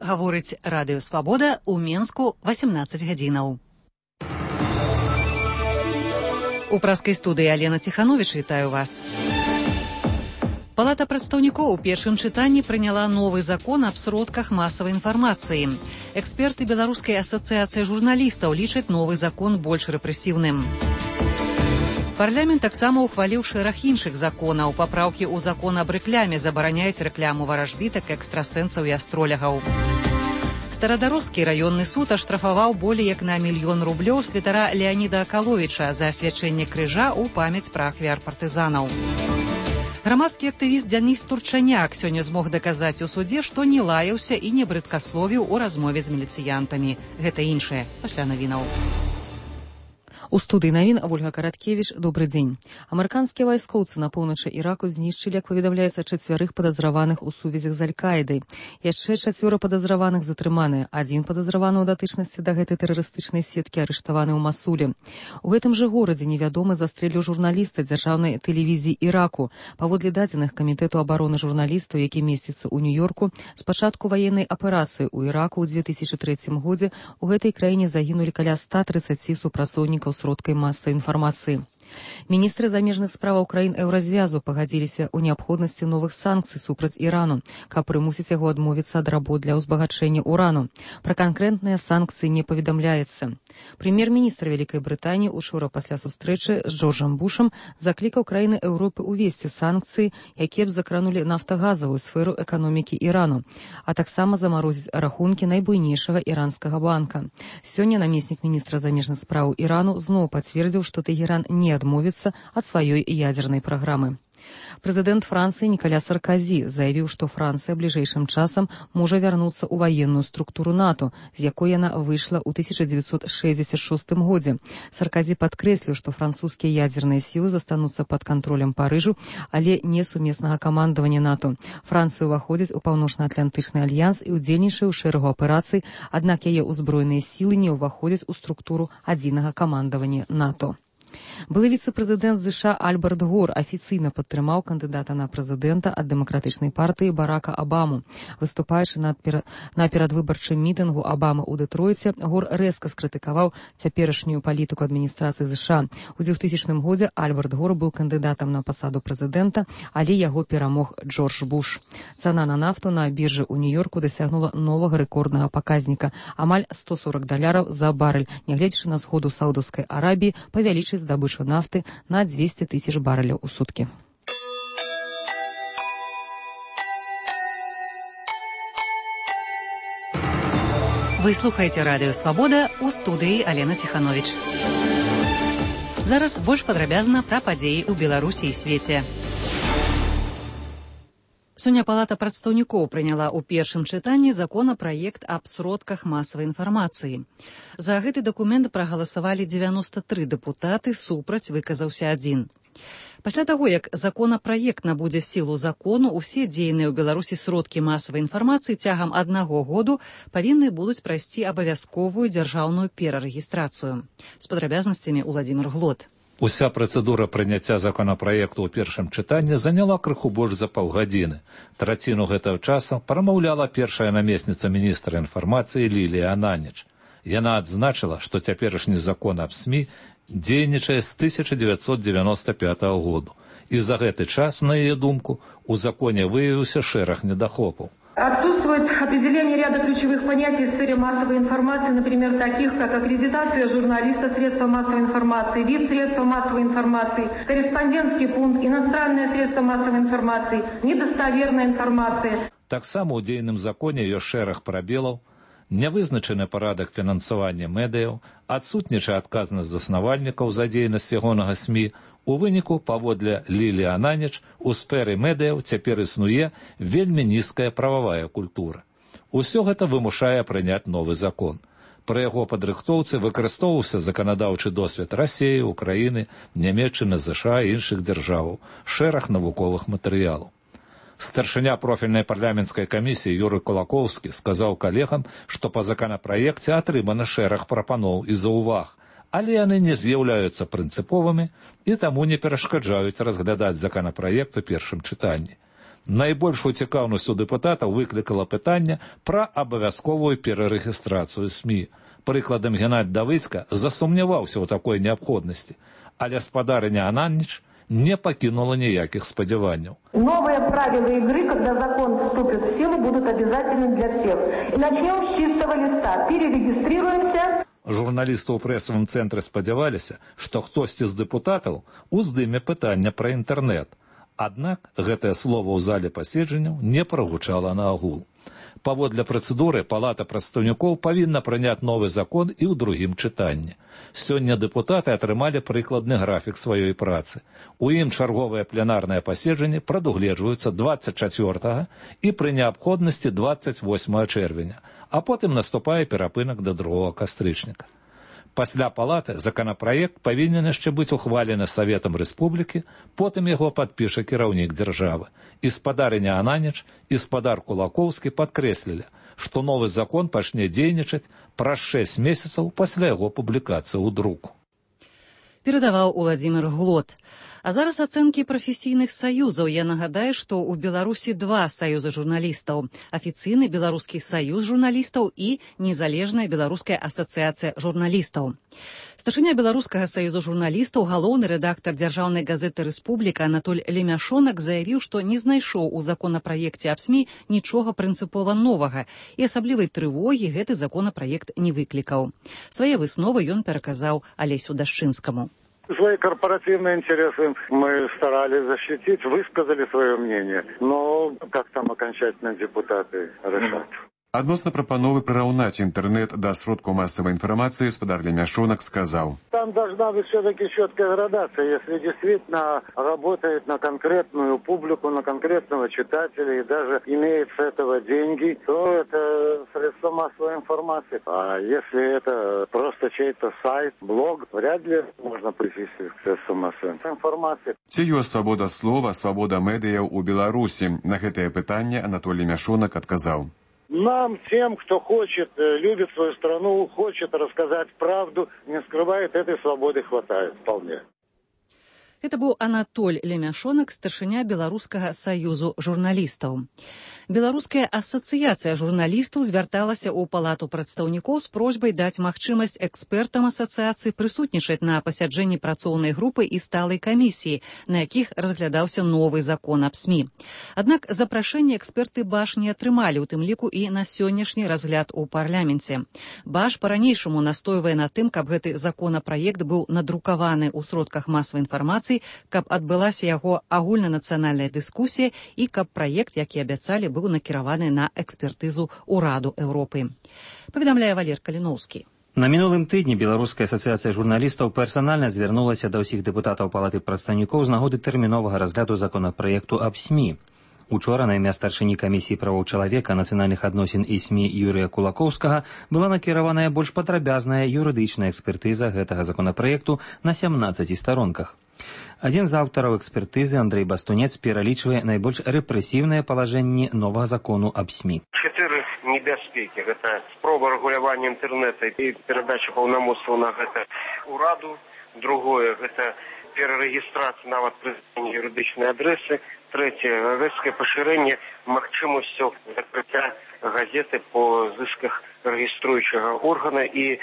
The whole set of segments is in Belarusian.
гаворыць Радыё Свабода ў Менску 18 гадзінаў. У праскай студыі Алена Ціхановіч, вітаю вас. Палата прадстаўнікоў у першым чытанні прыняла новы закон аб сродках масавай інфармацыі. Эксперты Беларускай асацыяцыі журналістаў лічаць новы закон больш рэпрэсіўным. Парламент таксама ухваліў шэраг іншых законаў. Папраўкі ў закон аб рэкляме забараняюць рэкляму варажбітак, экстрасэнсаў і астролягаў. Старадарожскі раённы суд аштрафаваў болей як на 1 000 000 рублёў святара Леаніда Акаловіча за асвячэнне крыжа ў памяць пра ахвяр-партызанаў. Грамадскі актывіст Дзяніс Турчаняк сёння змог даказаць у судзе, што не лаяўся і не брыдкасловіў у размове з міліцыянтамі. Гэта іншае пасля навінаў. У студыі навін Ольга Караткевіч. Добры дзень. Амерыканскія вайскоўцы на поўначы Іраку знішчылі, як паведамляецца, 4 падазраваных у сувязях з Аль-Каідай. Яшчэ 4 падазраваных затрыманыя. 1 падазраваны ў датычнасці да гэтай тэрарыстычнай сеткі арыштаваны ў Масуле. У гэтым жа горадзе невядомы застрэліў журналіста дзяржаўнай тэлевізіі Іраку. Паводле дадзеных камітэту абароны журналістаў, які месціцца ў Нью-Йорку, з пачатку ваеннай аперацыі ў Іраку ў 2003 годзе у гэтай краіне загінулі каля 130 супрацоўнікаў сродкай масавай інфармацыі. Міністры замежных справаў краін еўразвязу пагадзіліся ў неабходнасці новых санкцый супраць Ірану, каб прымусіць яго адмовіцца ад работ для ўзбагачэння урану. Пра канкрэтныя санкцыі не паведамляецца. Прэм'ер-міністр Вялікай Брытаніі учора пасля сустрэчы з Джорджам Бушам заклікаў краіны Еўропы ўвесці санкцыі, якія б закранулі нафтагазавую сферу эканомікі Ірану, а таксама замарозіць рахункі найбуйнейшага іранскага банка. Сёння намеснік міністра замежных справаў Ірану зноў пацвердзіў, што Тэгеран не адмовіцца ад сваёй ядзернай праграмы. Прэзідэнт Францыі Нікаля Сарказі заявіў, што Францыя бліжэйшым часам можа вярнуцца ў ваенную структуру НАТО, з якой яна выйшла ў 1966 годзе. Сарказі падкрэсліў, што французскія ядзерныя сілы застануцца пад кантролем Парыжу, але не сумеснага камандавання НАТО. Францыя ўваходзіць у Паўночна-Атлантычны альянс і ўдзельнічае ў шэрагу аперацый, аднак яе ўзброеныя сілы не ўваходзяць у структуру адзінага камандавання НАТО. Былы віцэ-прэзідэнт США Альберт Гор афіцыйна падтрымаў кандыдата на прэзідэнта ад дэмакратычнай партыі Барака Абаму. Выступаючы на перадвыбарчым мітынгу Абамы ў Дэтройце, Гор рэзка скрытыкаваў цяперашнюю палітыку адміністрацыі США. У 2000 годзе Альберт Гор быў кандыдатам на пасаду прэзідэнта, але яго перамог Джордж Буш. Цана на нафту на біржы ў Нью-Йорку дасягнула новага рэкорднага паказніка – амаль $140 за барэль, нягледзячы на згоду Саудаўскай Арабіі павялічыць здабычу нафты на 200 000 барэляў у суткі. Вы слухаеце Радыё Свабода, у студыі Алена Ціхановіч. Зараз больш падрабязна пра падзеі ў Беларусі і свеце. Сёння Палата прадстаўнікоў прыняла ў першым чытанні законапраект аб сродках масавай інфармацыі. За гэты дакумент прагаласавалі 93 дэпутаты, супраць выказаўся 1. Пасля таго, як законапраект набудзе сілу закону, усе дзейныя ў Беларусі сродкі масавай інфармацыі цягам 1 году павінны будуць прайсці абавязковую дзяржаўную перарэгістрацыю. З падрабязнасцямі Уладзімір Глот. Уся працэдура прыняцця законапраекту ў першым чытанні заняла крыху больш за паўгадзіны. Траціну гэтага часу прамаўляла першая намесніца міністра інфармацыі Лілія Ананіч. Яна адзначыла, што цяперашні закон аб СМІ дзейнічае з 1995 году. І за гэты час, на яе думку, у законе выявіўся шэраг недахопаў. Отсутствует определение ряда ключевых понятий в сфере массовой информации, например, таких как аккредитация журналиста, средства массовой информации, вид средства массовой информации, корреспондентский пункт, иностранные средства массовой информации, недостоверная информация. Таксама ў дзейным законе ёсць шэраг прабелаў, нявызначаны парадак фінансавання медыяў, адсутнічае адказнасць заснавальнікаў за дзейнасць ягонага СМІ. У выніку, паводле Лілі Ананіч, у сферы медыяў цяпер існуе вельмі нізкая прававая культура. Усё гэта вымушае прыняць новы закон. Пры яго падрыхтоўцы выкарыстоўваўся заканадаўчы досвед Расіі, Украіны, Нямецчыны, ЗША і іншых дзяржаваў, шэраг навуковых матэрыялаў. Старшыня профільнай парламенцкай камісіі Юрый Кулакоўскі сказаў калегам, што па законапраекце атрымана шэраг прапаноў і заўваг, але яны не з'яўляюцца прынцыповымі і таму не перашкаджаюць разглядаць законапраект у першым чытанні. Найбольшую цікаўнасць у дэпутатаў выклікала пытанне пра абавязковую перарэгістрацыю СМІ. Прыкладам, Геннадзь Давыдзька засумняваўся ў такой неабходнасці, але спадарыня Ананніч не покинула никаких сподеваний. Новые правила игры, когда закон вступит в силу, будут обязательны для всех. И начнем с чистого листа. Перерегистрируемся. Журналисты ў прэсавым цэнтры спадзяваліся, што хтосьці з дэпутатаў уздыме пытання пра інтэрнэт. Аднак гэтае слово ў зале паседжанняў не прагучала на агул. Паводле працэдуры Палата прадстаўнікоў павінна прыняць новы закон і ў другім чытанні. Сёння дэпутаты атрымалі прыкладны графік сваёй працы. У ім чарговыя пленарныя паседжанні прадугледжваюцца 24 і пры неабходнасці 28 чэрвеня, а потым наступае перапынак да 2 кастрычніка. Пасля палаты законапраект павінен яшчэ быць ухвалены Саветам Рэспублікі, потым яго падпіша кіраўнік дзяржавы. І спадарыня Ананніч, і спадар Кулакоўскі падкрэслілі, што новы закон пачне дзейнічаць праз 6 месяцаў пасля яго публікацыі ў друку. Перадаваў Уладзімір Глот. А зараз ацэнкі прафесійных саюзаў. Я нагадаю, што ў Беларусі 2 саюзы журналістаў. Афіцыйны Беларускі саюз журналістаў і Незалежная Беларуская асацыяцыя журналістаў. Старшыня Беларускага саюзу журналістаў, галоўны рэдактар дзяржаўнай газеты «Рэспубліка» Анатоль Лемяшонак заявіў, што не знайшоў у законапраекце аб СМІ нічога прынцыпова новага, і асаблівай трывогі гэты законапраект не выклікаў. Свае высновы ён пераказаў Алесю Дашчынскаму. Свои корпоративные интересы мы старались защитить, высказали свое мнение, но как там окончательно депутаты решат. Адносно прапановы прыраўнаць інтэрнэт да сродкаў массовой информации, спадар Лемяшонак сказал: Там должна быть все-таки четкая градация, если действительно работает на конкретную публику, на конкретного читателя и даже имеет с этого деньги, то это средство массовой информации. А если это просто чей-то сайт, блог, вряд ли можно причислить к средству массовой информации. Ці ёсць свабода слова, свабода медыяў у Беларусі? На гэтае пытанне Анатолий Лемяшонак адказаў: Нам, тем, кто хочет, любит свою страну, хочет рассказать правду, не скрывает, этой свободы хватает вполне. Это быў Анатоль Лемяшонак, старшыня Беларускага саюзу журналістаў. Беларуская асацыяцыя журналістаў звярталася ў Палату прадстаўнікоў з просьбай даць магчымасць экспертам асацыяцыі прысутнічаць на пасяджэнні працоўнай групы і сталай камісіі, на якіх разглядаўся новы закон аб СМІ. Аднак запрашэнне эксперты БАШ не атрымалі, у тым ліку і на сённяшні разгляд у парламенце. БАШ па-ранейшаму настойвае на тым, каб гэты законапраект быў надрукаваны ў сродках масавай інфармацыі, каб адбылася яго агульнанацыянальная дыскусія і каб праект, які абяцалі, быў накіраваны на экспертызу ў Раду Еўропы. Паведамляе Валер Каліноўскі. На мінулым тыдні Беларуская асацыяцыя журналістаў персанальна звярнулася да ўсіх дэпутатаў Палаты прадстаўнікоў з нагоды тэрміновага разгляду законапраекту аб СМІ. Учора на імя старшыні камісіі правоў чалавека, нацыянальных адносін і СМІ Юрыя Кулакоўскага была накіраваная больш падрабязная юрыдычная экспертыза гэтага законапраекту на 17 старонках. Адзін з аўтараў экспертызы, Андрэй Бастунец, пералічвае найбольш рэпрэсіўныя палажэнні новага закону аб СМІ. 4 небяспекі. Гэта спроба рэгулявання інтэрнэта і перадача паўнамоцтваў на гэта ўраду. Другое, гэта перарэгістрацыя нават прызнання юрыдычнай адрэсы. Третье, рэзкае пашырэнне магчымасцю закрыцця газеты по зысках рэгіструючага органа і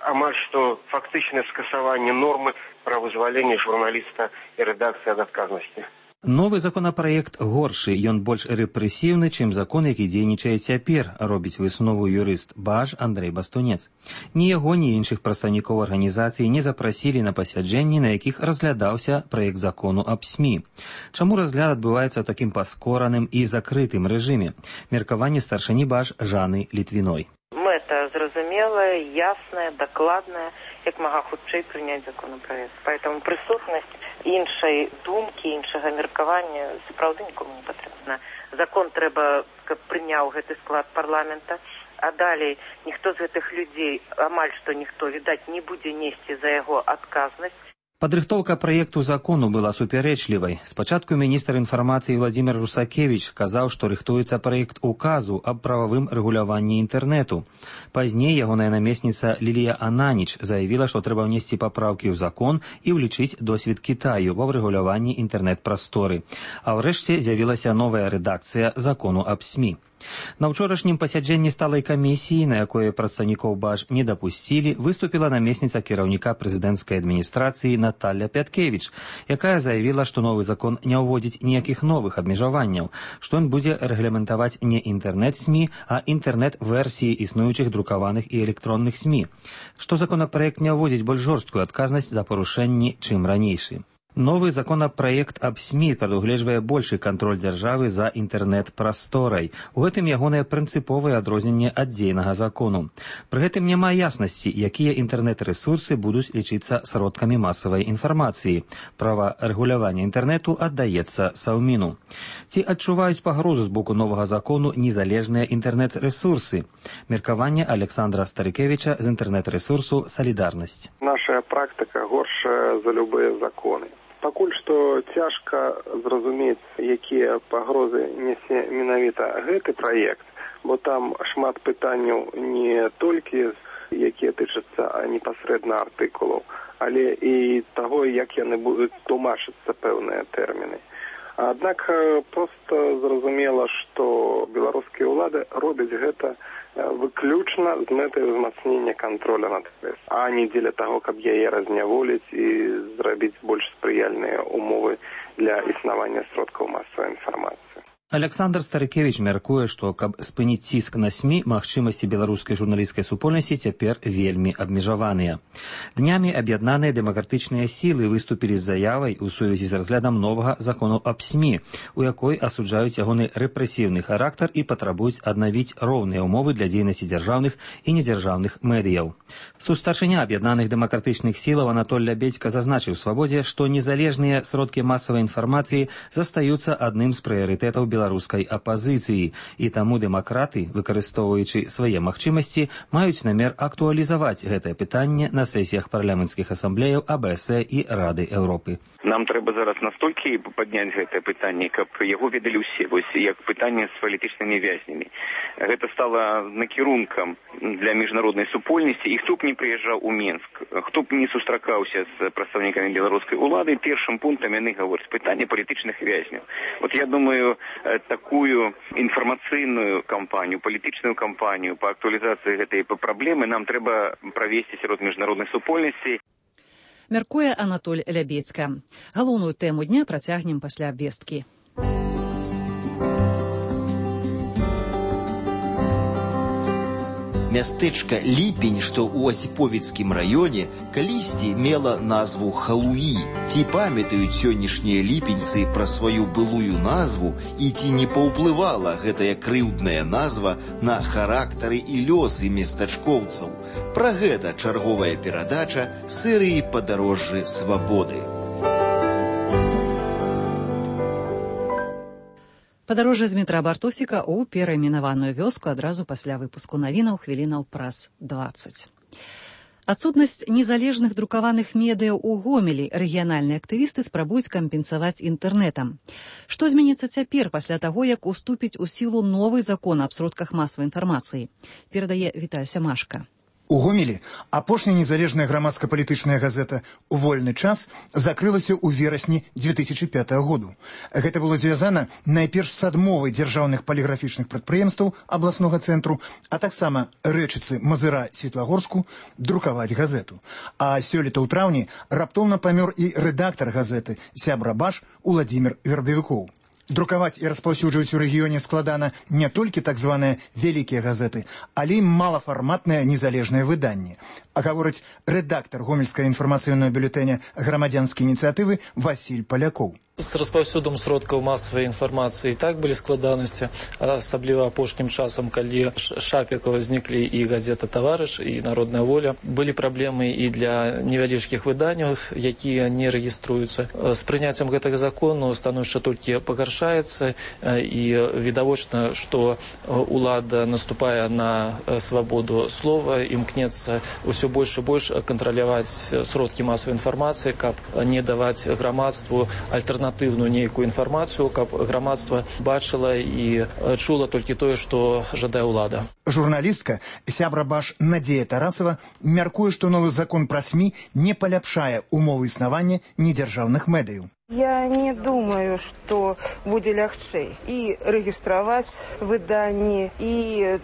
амаль што фактычнае скасаванне нормы пра вызваленне журналіста і рэдакцыі ад адказнасці. Новы законапраект горшы, ён больш рэпрэсіўны, чым закон, які дзейнічае цяпер, робіць выснову юрыст БАШ Андрэй Бастунец. Ні яго, ні іншых прадстаўнікоў арганізацыі не запрасілі на пасяджэнні, на якіх разглядаўся праект закону аб СМІ. Чаму разгляд адбываецца ў такім паскораным і закрытым рэжыме? Меркаванне старшыні БАШ Жаны Літвіной. Мэта зразумелая, ясная, дакладная, як мага хутчэй прыняць законапраект. Поэтому прысутнасць іншай думкі, іншага меркавання сапраўды нікому не патрэбна. Закон трэба, каб прыняў гэты склад парламента, а далей ніхто з гэтых людзей, амаль што ніхто, відаць, не будзе несці за яго адказнасць. Падрыхтоўка праекту закону была супярэчлівай. Спачатку міністр інфармацыі Владимир Русакевич казаў, што рыхтуецца праект указу аб прававым рэгуляванні інтэрнэту. Пазней ягоная намесніца Лілія Ананіч заявіла, што трэба ўнесці папраўкі ў закон і ўлічыць досвед Кітаю ва рэгуляванні інтэрнэт-прасторы. А ўрэшце з'явілася новая рэдакцыя закону аб СМІ. На ўчорашнім пасяджэнні сталай камісіі, на якое прадстаўнікоў БАЖ не дапусцілі, выступіла намесніца кіраўніка прэзідэнцкай адміністрацыі Наталья Пяткевіч, якая заявіла, што новы закон не ўводзіць ніякіх новых абмежаванняў, што ён будзе рэгламентаваць не інтэрнэт-СМІ, а інтэрнэт-версіі існуючых друкаваных і электронных СМІ, што законапраект не ўводзіць больш жорсткую адказнасць за парушэнні, чым ранейшы. Новый законапраект аб СМІ прадугледжвае большы кантроль дзяржавы за інтэрнэт-прасторай. У гэтым ягонае прынцыповае адрозненне ад дзейнага закону. Пры гэтым няма яснасці, якія інтэрнэт-рэсурсы будуць лічыцца сродкамі масавай інфармацыі. Права рэгулявання інтэрнэту аддаецца Саўміну. Ці адчуваюць пагрозу з боку новага закону незалежныя інтэрнэт-рэсурсы? Меркаванне Александра Старыкевіча з інтэрнэт-рэсурсу «Салідарнасць». Наша практыка горшая за любыя законы. Пакуль што цяжка зразумець, якія пагрозы нясе менавіта гэты праект, бо там шмат пытанняў не толькі, якія тычацца непасрэдна артыкулаў, але і таго, як яны будуць тлумачыцца пэўныя тэрміны. Аднак проста зразумела, што беларускія ўлады робяць гэта выключна з мэтай узмацнення контроля над прэс, а не дзеля таго, каб яе разняволіць і зрабіць больш спрыяльныя умовы для існавання сродкаў масавай інфармацыі. Александр Старыкевич мяркуе, што каб спыніць ціск на СМІ, магчымасці беларускай журналісцкай супольнасці цяпер вельмі абмежаваныя. Днямі аб'яднаныя дэмакратычныя сілы выступілі з заявай у сувязі з разглядам новага закону аб СМІ, у якой асуджаюць ягоны рэпрэсіўны характар і патрабуюць аднавіць роўныя ўмовы для дзейнасці дзяржаўных і недзяржаўных медыяў. Сустарчыня аб'яднаных дэмакратычных сілаў Анатоль Лябедзька зазначыў свабодзе, што незалежныя сродкі масавай інфармацыі застаюцца адным з прыярытэтаў беларускай апазіцыі, і таму дэмакраты, выкарыстоўваючы свае магчымасці, маюць намер актуалізаваць гэтае пытанне на сесіях парламенцкіх асамблеяў АБС і Рады Еўропы. Нам трэба зараз настолькі падняць гэтае пытанне, каб яго ведалі ўсе, вось як пытанне з палітычнымі вязнямі. Гэта стала накірункам для міжнароднай супольнасці, і хто б не прыязджаў у Менск, хто б не сустракаўся з прадстаўнікамі беларускай улады, першым пунктам яны гавораць пытанне палітычных вязняў. Вот я думаю, такую інфармацыйную кампанію, палітычную кампанію па актуалізацыі гэтай праблемы нам трэба правесці сярод міжнароднай супольнасці. Мяркуе Анатоль Лябедзька. Галоўную тэму дня працягнем пасля абвесткі. Мястэчка Ліпень, што ў Асіповіцкім раёне, калісьці мела назву Халуі. Ці памятаюць сённяшнія ліпеньцы пра сваю былую назву і ці не паўплывала гэтая крыўдная назва на характары і лёсы местачкоўцаў? Пра гэта чарговая перадача серыі «Падарожжы свабоды». Падарожжа з метра Бартосіка ў перайменаваную вёску адразу пасля выпуску навінаў хвілінаў праз 20. Адсутнасць незалежных друкаваных медыяў у Гомелі рэгіянальныя актывісты спрабуюць кампенсаваць інтэрнэтам. Што зменіцца цяпер пасля таго, як уступіць у сілу новы закон аб сродках масавай інфармацыі? Перадае Віталь Сямашка. У Гомелі апошняя незалежная грамадска-палітычная газета «У вольны час» закрылася ў верасні 2005 году. Гэта было звязана найперш з адмовай дзяржаўных паліграфічных прадпрыемстваў абласнога цэнтру, а таксама Рэчыцы, Мазыра, Светлагорску друкаваць газету. А сёлета ў траўні раптоўна памёр і рэдактар газеты, сябра БАЖ Уладзімір Вербавікоў. Друкаваць і распаўсюджваць у рэгіёне складана не толькі так званыя вялікія газеты, але і малафарматныя незалежныя выданні. А гаворыць рэдактар гомельскага інфармацыйнага бюлетэня грамадзянскай ініцыятывы Васіль Палякоў. З распаўсюдам сродкаў масавай інфармацыі так былі складанасці, асабліва апошнім часам, калі Шапікова зніклі і газета «Таварыш», і «Народная воля». Былі праблемы і для невялічкіх выданняў, якія не рэгіструюцца. З прыняццем гэтага закону становішча толькі пагаршаецца, і відавочна, што ўлада наступае на свабоду слова, імкнецца ўсё ўсё больш і больш кантраляваць сродкі масавай інфармацыі, каб не даваць грамадству альтэрнатыўную нейкую інфармацыю, каб грамадства бачыла і чула толькі тое, што жадае ўлада. Журналістка, сябра БАШ Надзея Тарасова, мяркуе, што новы закон пра СМІ не паляпшае умовы існавання недзяржаўных медыяў. Я не думаю, што будзе лягчэй і рэгістраваць выданні, і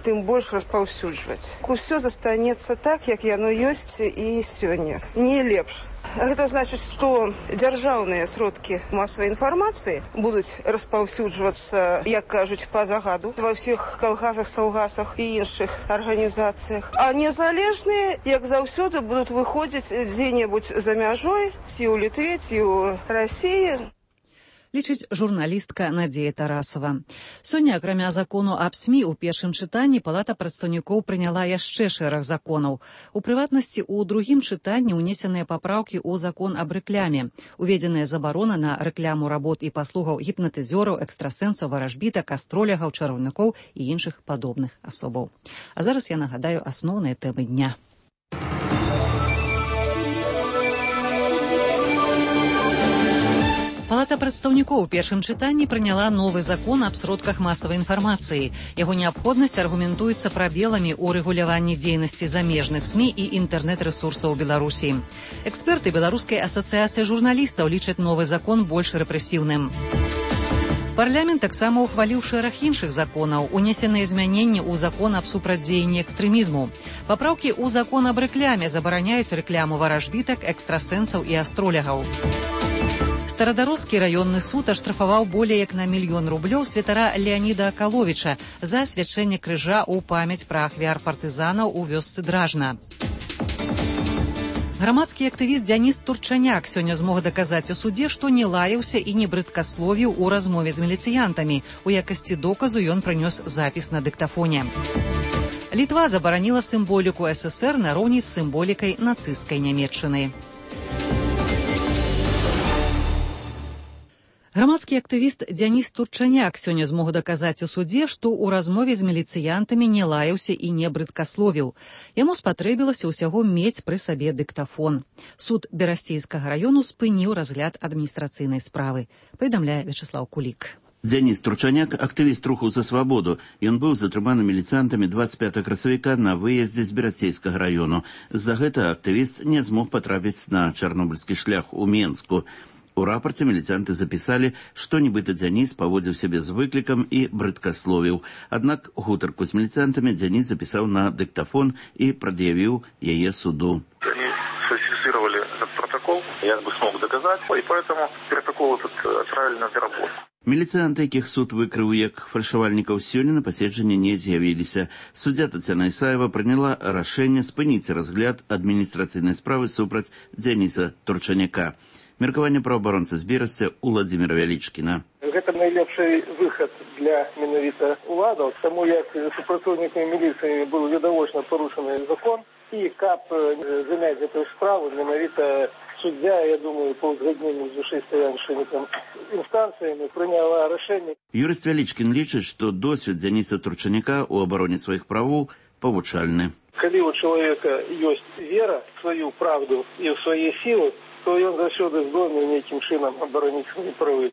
тым больш распаўсюджваць. Усё застанецца так, як яно ёсць і сёння. Не лепш. Гэта значыць, што дзяржаўныя сродкі масавай інфармацыі будуць распаўсюджвацца, як кажуць, па загаду ва ўсіх калгасах, саўгасах і іншых арганізацыях. А незалежныя, як заўсёды, будуць выходзіць дзе-небудзь за мяжой, ці ў Літве, ці ў Расіі. Лічыць журналістка Надзея Тарасова. Сёння, акрамя закону аб СМІ, у першым чытанні Палата прадстаўнікоў прыняла яшчэ шэраг законаў. У прыватнасці, у другім чытанні ўнесеныя папраўкі ў закон аб рэкляме. Уведзеная забарона на рэкляму работ і паслугаў гіпнатызёраў, экстрасэнсаў, варажбітак, астролягаў, чараўнікоў і іншых падобных асобаў. А зараз я нагадаю асноўныя тэмы дня. Палата прадстаўнікоў у першым чытанні прыняла новы закон аб сродках масавай інфармацыі. Яго неабходнасць аргументуецца прабеламі ў рэгуляванні дзейнасці замежных СМІ і інтэрнэт-рэсурсаў Беларусі. Эксперты Беларускай асацыяцыі журналістаў лічаць новы закон больш рэпрэсіўным. Парламент таксама ўхваліў шэраг іншых законаў, унесеныя змяненні ў закон аб супрацьдзеянні экстрэмізму. Папраўкі ў закон аб рэкляме забараняюць рэкляму варажбітак, экстрасэнсаў і астролягаў. Старадарожскі раённы суд аштрафаваў болей як на 1 000 000 рублёў святара Леаніда Акаловіча за асвячэнне крыжа ў памяць пра ахвяр партызанаў у вёсцы Дражна. Грамадскі актывіст Дзяніс Турчаняк сёння змог даказаць у судзе, што не лаяўся і не брыдкасловіў у размове з міліцыянтамі. У якасці доказу ён прынёс запіс на дыктафоне. Літва забараніла сімволіку ССР нароўні з сімволікай нацысцкай Нямецчыны. Грамадскі актывіст Дзяніс Турчаняк сёння змог даказаць у судзе, што ў размове з міліцыянтамі не лаяўся і не брыдкасловіў. Яму спатрэбілася ўсяго мець пры сабе дыктафон. Суд Берасцейскага раёну спыніў разгляд адміністрацыйнай справы, паведамляе Вячеслаў Кулік. Дзяніс Турчаняк, актывіст руху за свабоду. Ён быў затрыманы міліцыянтамі 25 красавіка на выездзе з Берасцейскага раёну. З-за гэта актывіст не змог патрапіць на чарнобыльскі шлях у Менску. У рапорце міліцыянты запісалі, што нібыта Дзяніс паводзіў сябе з выклікам і брыдкасловіў. Аднак гутарку з міліцыянтамі Дзяніс запісаў на дыктафон і прад'явіў яе суду. Они сфальсифицировали этот протокол, я бы смог доказать, и поэтому протокол этот отправили на переработку. Міліцыянты, якіх суд выкрыў як фальшавальнікаў, сёння на паседжанні не з'явіліся. Суддзя Тацяна Ісаева прыняла рашэнне спыніць разгляд адміністрацыйнай справы супраць Дзяніса Турчаняка. Меркаванне праваабаронцы з Берасця Уладзіміра Вялічкіна. Гэта найлепшы выхад для менавіта уладаў, таму як супрацоўнікамі міліцыі быў відавочна парушаны закон, і каб замяць гэтую справу, менавіта суддзя, я думаю, па ўзгадненню з вышэйстаячымі інстанцыямі прыняла рашэнне. Юрыст Вялічкін лічыць, што досвед Дзяніса Турчаняка ў абароне сваіх правоў павучальны. Калі у чалавека ёсць вера в сваю правду і ў свае сілы, то ён заўсёды здольны нейкім чынам абароніць свае правы.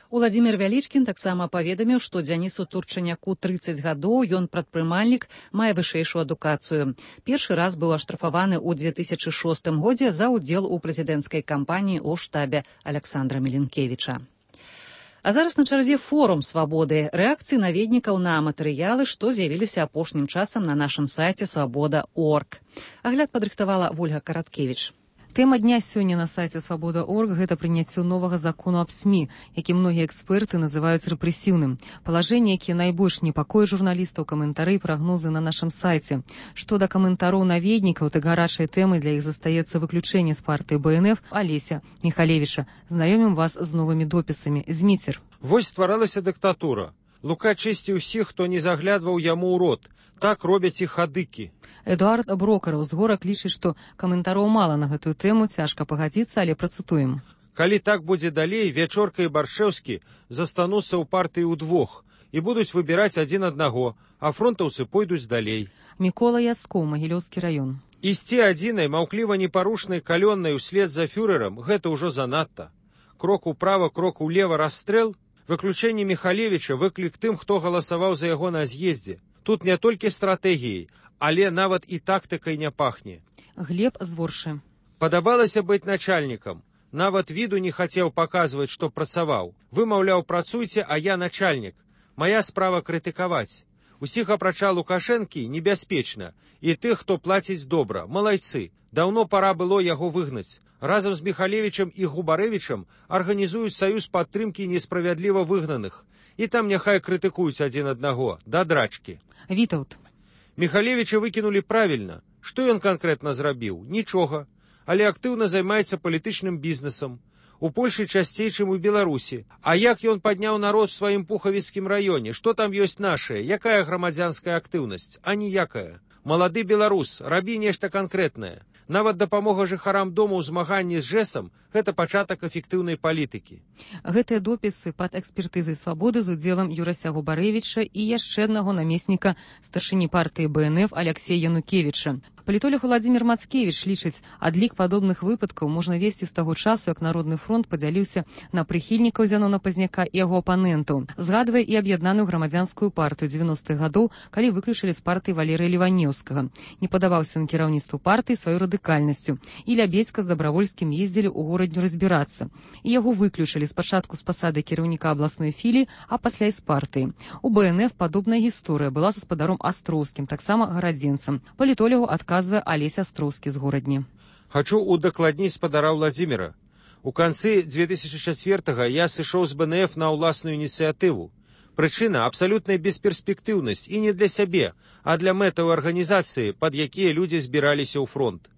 Уладзімір Вялічкін таксама паведаміў, што Дзянісу Турчаняку 30 гадоў, ён прадпрымальнік, мае вышэйшую адукацыю. Першы раз быў аштрафаваны ў 2006 годзе за ўдзел у прэзідэнцкай кампаніі ў штабе Аляксандра Міленкевіча. А зараз на чарзе форум свабоды, рэакцыі наведнікаў на матэрыялы, што з'явіліся апошнім часам на нашым сайце свабода.орг. Агляд падрыхтавала Вольга Караткевіч. Тэма дня сёння на сайце свабода.орг – гэта прыняццё новага закону аб СМІ, які многія эксперты называюць рэпрэсіўным. Палажэнне, якія найбольш непакояць журналістаў, каментары і прагнозы на нашым сайце. Што да каментароў наведнікаў, так гарачай тэмай для іх застаецца выключэнне з партыі БНФ Алеся Міхалевіча. Знаёмім вас з новымі допісамі. Зміцер. Вось стваралася дыктатура. Лука чысціў усіх, хто не заглядваў яму ў рот. Так робяць і хадыкі. Эдуард Брокараў з горак лічыць, што каментароў мала на гэтую тэму, цяжка пагадзіцца, але працытуем. Калі так будзе далей, Вячорка і Баршэўскі застануцца ў партыі ўдвох і будуць выбіраць адзін аднаго, а фронтаўцы пойдуць далей. Мікола Яцкоў, Магілёўскі раён. Ісці адзінай маўкліва непарушнай калённай услед за фюрерам гэта ўжо занадта. Крок управа, крок улева, расстрэл. Выключэнне Міхалевіча выклік тым, хто галасаваў за яго на з'ездзе. Тут не толькі стратэгіяй, але нават і тактыкай не пахне. Глеб з Воршы. Падабалася быць начальнікам. Нават віду не хацеў паказваць, што працаваў. Вы, маўляў, працуйце, а я начальнік. Мая справа крытыкаваць. Усіх апрача Лукашэнкі небяспечна. І тых, хто плаціць добра. Малайцы. Даўно пара было яго выгнаць. Разам з Міхалевічам і Губарэвічам арганізуюць саюз падтрымкі несправядліва выгнаных. І там няхай крытыкуюць адзін аднаго. Да драчкі. Вітаўт. Міхалевіча выкінулі правільна. Што ён канкрэтна зрабіў? Нічога. Але актыўна займаецца палітычным бізнесам. У Польшы часцей, чым у Беларусі. А як ён падняў народ у сваім пухавіцкім раёне? Што там ёсць нашае? Якая грамадзянская актыўнасць? А ніякая. Малады беларус, рабі нешта канкрэтнае. Нават дапамога жыхарам дома ў змаганні з ЖЭСам – гэта пачатак эфектыўнай палітыкі. Гэтыя допісы пад экспертызай свабоды з удзелам Юрася Губарэвіча і яшчэ аднаго намесніка старшыні партыі БНФ Аляксея Янукевіча. Палітолог Владзімір Мацкевіч лічыць, адлік падобных выпадкаў можна весці з таго часу, як Народны фронт падзяліўся на прыхільнікаў Зянона Пазняка і яго апанентаў. Згадвае і аб'яднаную грамадзянскую партыю 90-х гадоў, калі выключылі з партыі Валерыя Леванеўскага. Не падаваўся ён кіраўніцтву партыі сваёй радыкальнасцю. І Лябедзька з Дабравольскім ездзілі ў горадню разбірацца. І яго выключылі спачатку з пасады кіраўніка абласной філіі, а пасля і з партыі. У БНФ падобная гісторыя была з гаспадаром Астроўскім, таксама гарадзенцам. Палітолягу адказвае Алесь Астроўскі з горадні. Хачу удакладніць спадара Владзіміра. У канцы 2004-го я сышоў з БНФ на ўласную ініцыятыву. Прычына – абсалютная бесперспектыўнасць і не для сябе, а для мэтаў арганізацыі, пад якія людзі збіраліся ў фронт.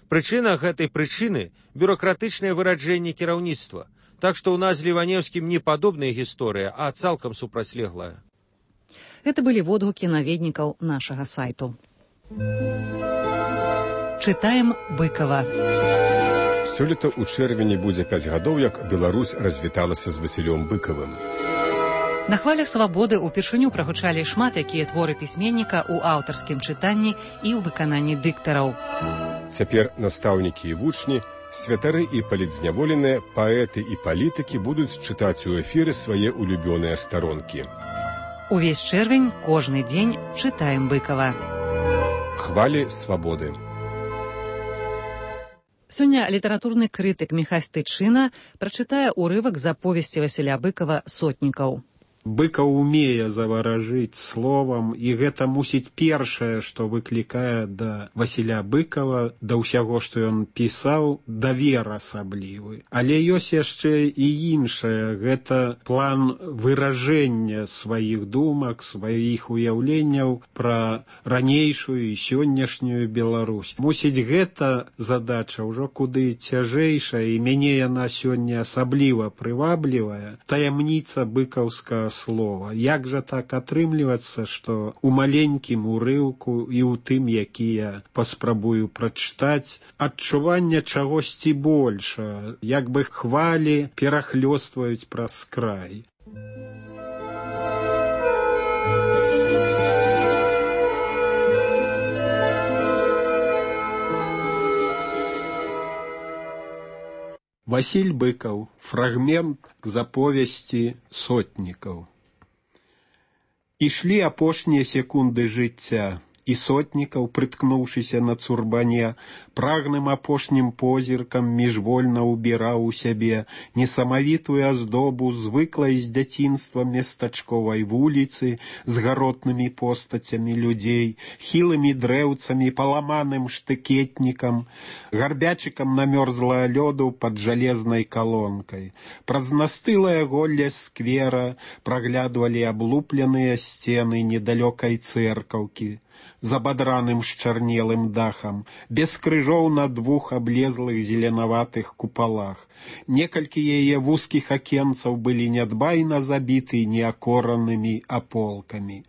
Прычына гэтай прычыны – бюрократычнае выраджэнне кіраўніцтва. Так што ў нас з Леванеўскім не падобная гісторыя, а цалкам супрацьлеглая. Гэта былі водгукі наведнікаў нашага сайту. Чытаем Быкова. Сёлета ў чэрвені будзе 5 гадоў, як Беларусь развіталася з Васілём Быкавым. На хвалях свабоды ўпершыню прагучалі шмат якія творы пісьменніка ў аўтарскім чытанні і ў выкананні дыктараў. Цяпер настаўнікі і вучні, святары і палітзняволеныя, паэты і палітыкі будуць чытаць у эфіры свае улюбёныя старонкі. Увесь чэрвень, кожны дзень чытаем Быкава. Хвалі свабоды. Сёння літаратурны крытык Міхась Тычына прачытае ўрывак з аповесці Васіля Быкава «Сотнікаў». Быкаў умее заваражыць словам, і гэта мусіць першае, што выклікае да Васіля Быкава, да ўсяго, што ён пісаў, давер асаблівы. Але ёсць яшчэ і іншае, гэта план выражэння сваіх думак, сваіх уяўленняў пра ранейшую і сённяшнюю Беларусь. Мусіць, гэта задача ўжо куды цяжэйшая, і мяне яна сёння асабліва прываблівая. Таямніца быкаўскага слова. Як жа так атрымлівацца, што ў маленькім урыўку і ў тым, які я паспрабую прачытаць, адчуванне чагосьці больша, як бы хвалі перахлёстваюць праз край. Васіль Быкаў. Фрагмент з аповесці «Сотнікаў». Ішлі апошнія секунды жыцця, і Сотнікаў, прыткнуўшыся на цурбане, прагным апошнім позіркам міжвольна ўбіраў у сябе несамавітую аздобу звыклай з дзяцінства местачковай вуліцы з гаротнымі постацямі людзей, хілымі дрэўцамі, паламаным штыкетнікам, гарбячыкам намёрзлага лёду пад жалезнай калонкай. Праз настылае голле сквера праглядвалі аблупленыя сцены недалёкай цэркаўкі з абадраным счарнелым дахам, без крыжоў на 2 аблезлых зеленаватых купалах. Некалькі яе вузкіх акенцаў былі нядбайна забіты неакоранымі аполкамі.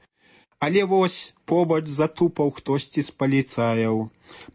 Але вось побач затупаў хтосьці з паліцаяў.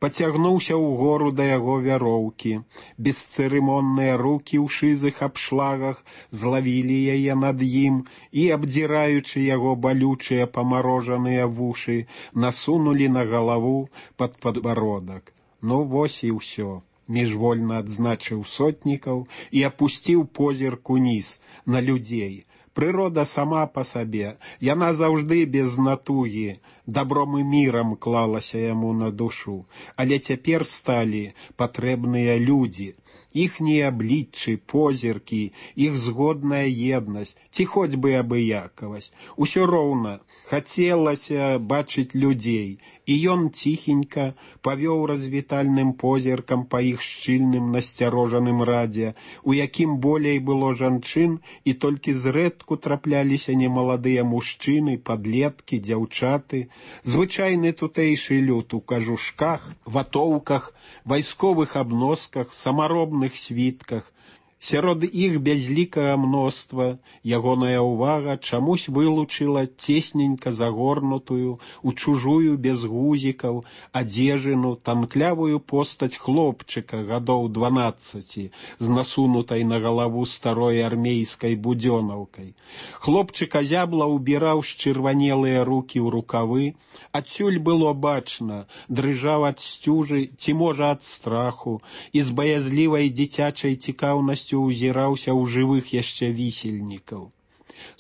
Пацягнуўся ўгору да яго вяроўкі. Бесцырымонныя рукі ў шызых абшлагах злавілі яе над ім і, абдзіраючы яго балючыя памарожаныя вушы, насунулі на галаву пад падбародак. Ну вось і ўсё. Міжвольна адзначыў Сотнікаў і апусціў позірк уніз на людзей. Прырода сама па сабе, яна заўжды без натугі, добром і мірам клалася яму на душу, але цяпер сталі патрэбныя людзі, іхнія абліччы, позіркі, іх згодная еднасць, ці хоць бы абыякавасць. Усё роўна хацелася бачыць людзей, і ён ціхенька павёў развітальным позіркам па іх шчыльным насцярожаным радзе, у якім болей было жанчын, і толькі зрэдку трапляліся немаладыя мужчыны, падлеткі, дзяўчаты, звычайны тутэйшы люд у кажушках, ватоўках, вайсковых абносках, самаробных світках. Сярод іх бязлікага мноства ягоная ўвага чамусь вылучыла цесненька загорнутую у чужую без гузікаў адзежыну танклявую постаць хлопчыка гадоў 12 з насунутай на галаву старой армейскай будзёнаўкай. Хлопчык азябла ўбіраў счырванелыя рукі ў рукавы, адсюль было бачна, дрыжаў ад сцюжы ці можа ад страху, і з баязлівай дзіцячай цікаўнасцю узіраўся ў жывых яшчэ вісельнікаў.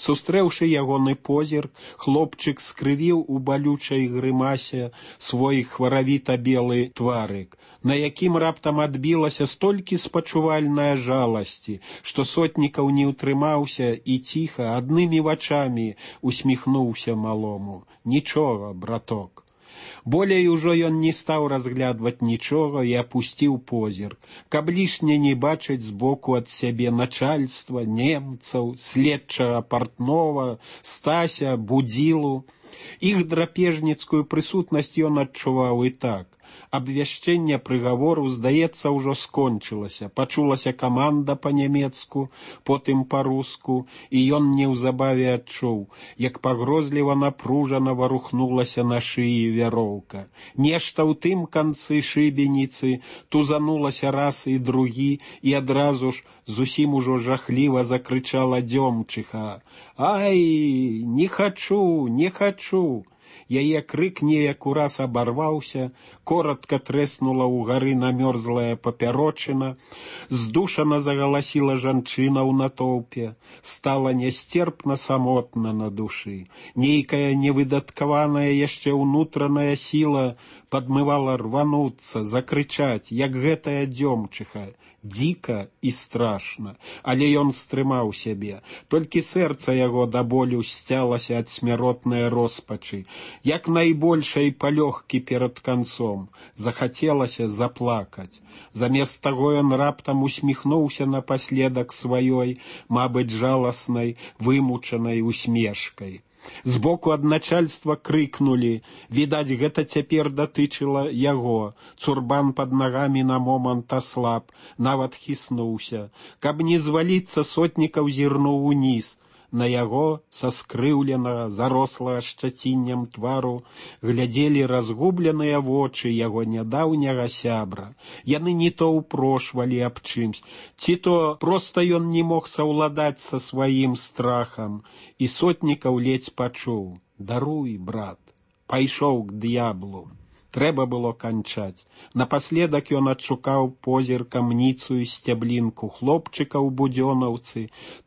Сустрэўшы ягоны позірк, хлопчык скрывіў у балючай грымасе свой хваравіта-белы тварык, на якім раптам адбілася столькі спачувальная жаласці, што Сотнікаў не ўтрымаўся і ціха, аднымі вачамі усміхнуўся малому. Нічога, браток. Болей ужо ён не стаў разглядваць нічога і апусціў позірк, каб лішне не бачыць збоку ад сябе начальства, немцаў, следчага партнова, Стася, Будзілу. Іх драпежніцкую прысутнасць ён адчуваў і так. Абвяшчэнне прыгавору, здаецца, ўжо скончылася. Пачулася каманда па-нямецку, потым па-руску, і ён неўзабаве адчуў, як пагрозліва напружана варухнулася на шыі вяроўка. Нешта ў тым канцы шыбеніцы тузанулася раз і другі, і адразу ж зусім ужо жахліва закрычала Дзёмчыха. «Ай, не хачу, не хачу!» Яе крык неяк ураз абарваўся, коротка трэснула ўгары намёрзлая папярочына, здушана загаласіла жанчына ў натоўпе, стала нястерпна самотна на душы. Нейкая невыдаткаваная яшчэ ўнутраная сіла падмывала рвануцца, закрычаць, як гэтая Дзёмчыха. Дзіка і страшна, але ён стрымаў сябе. Толькі сэрца яго да болю сцялася ад смяротнай роспачы. Як найбольшай палёгкі перад канцом. Захацелася заплакаць. Замест таго ён раптам усміхнуўся напаследак сваёй, мабыць, жаласнай, вымучанай усмешкай. Збоку ад начальства крыкнулі. Відаць, гэта цяпер датычыла яго. Цурбан пад нагамі на момант аслаб, нават хіснуўся. Каб не зваліцца, Сотнікаў зірнуў уніз. На яго, са скрыўленага, зарослага шчаціннем твару, глядзелі разгубленыя вочы яго нядаўняга сябра. Яны не то ўпрошвалі аб чымсь, ці то проста ён не мог саўладаць са сваім страхам. І Сотнікаў ледзь пачуў: «Даруй, брат». Пайшоў к д'яблу. Трэба было канчаць. Напаследак ён адшукаў позіркам ніцую сцяблінку хлопчыка ў будзёнаўцы.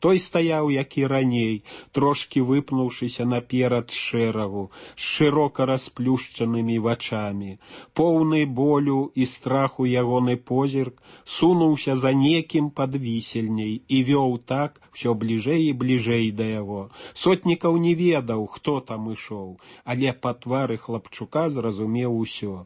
Той стаяў, як і раней, трошкі выпнуўшыся наперад шэрагу, з шырока расплюшчанымі вачамі. Поўны болю і страху ягоны позірк сунуўся за некім пад вісельняй і вёў так усё бліжэй і бліжэй да яго. Сотнікаў не ведаў, хто там ішоў, але па твары хлапчука зразумеў усё.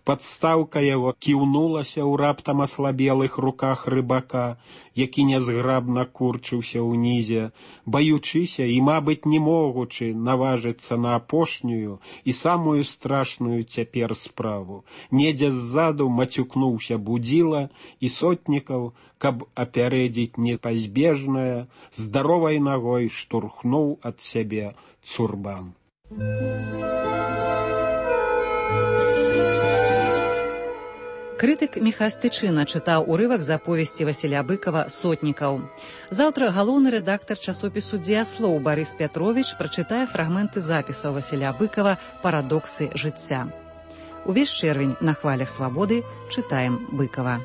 Падстаўка яго кіўнулася ў раптам аслабелых руках рыбака, які нязграбна курчыўся ўнізе, баючыся і, мабыць, не могучы наважыцца на апошнюю і самую страшную цяпер справу. Недзе ззаду мацюкнуўся Будзіла, і Сотнікаў, каб апярэдзіць непазбежнае, здаровай нагой штурхнуў ад сябе Цурбан. Крытык Міхась Тычына чытаў урывак з аповесці Васіля Быкава «Сотнікаў». Заўтра галоўны рэдактар часопісу «Дзеяслоў» Барыс Пятровіч прачытае фрагменты запісаў Васіля Быкава «Парадоксы жыцця». Увесь чэрвень на хвалях свабоды чытаем Быкава.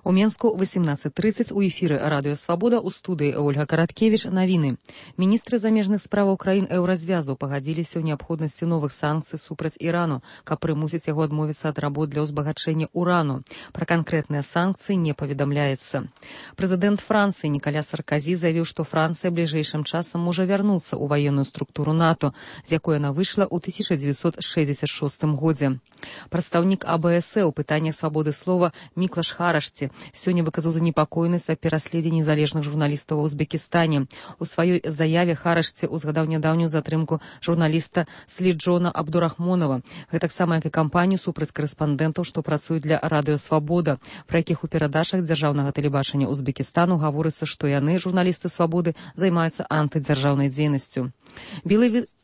У Менску 18:30 у эфіры Радыё Свабода у студыі Ольга Караткевіч навіны. Міністры замежных справаў краін еўразвязу пагадзіліся ў неабходнасці новых санкцый супраць Ірану, каб прымусіць яго адмовіцца ад работ для ўзбагачэння урану. Пра канкрэтныя санкцыі не паведамляецца. Прэзідэнт Францыі Нікаля Сарказі заявіў, што Францыя бліжэйшым часам можа вярнуцца ў ваенную структуру НАТО, з якой яна выйшла ў 1966 годзе. Прадстаўнік АБС у пытаннях свабоды слова Міклаш Харашці сёння выказаў занепакоенасць аб пераследзе незалежных журналістаў у Узбекістане. У сваёй заяве Харашці узгадаў нядаўнюю затрымку журналіста Сліджона Абдурахмонова, гэтаксама як і кампанію супраць карэспандэнтаў, што працуюць для Радыё Свабода, пра якіх у перадачах дзяржаўнага тэлебачання Узбекістану гаворыцца, што яны, журналісты свабоды, займаюцца антыдзяржаўнай дзейнасцю.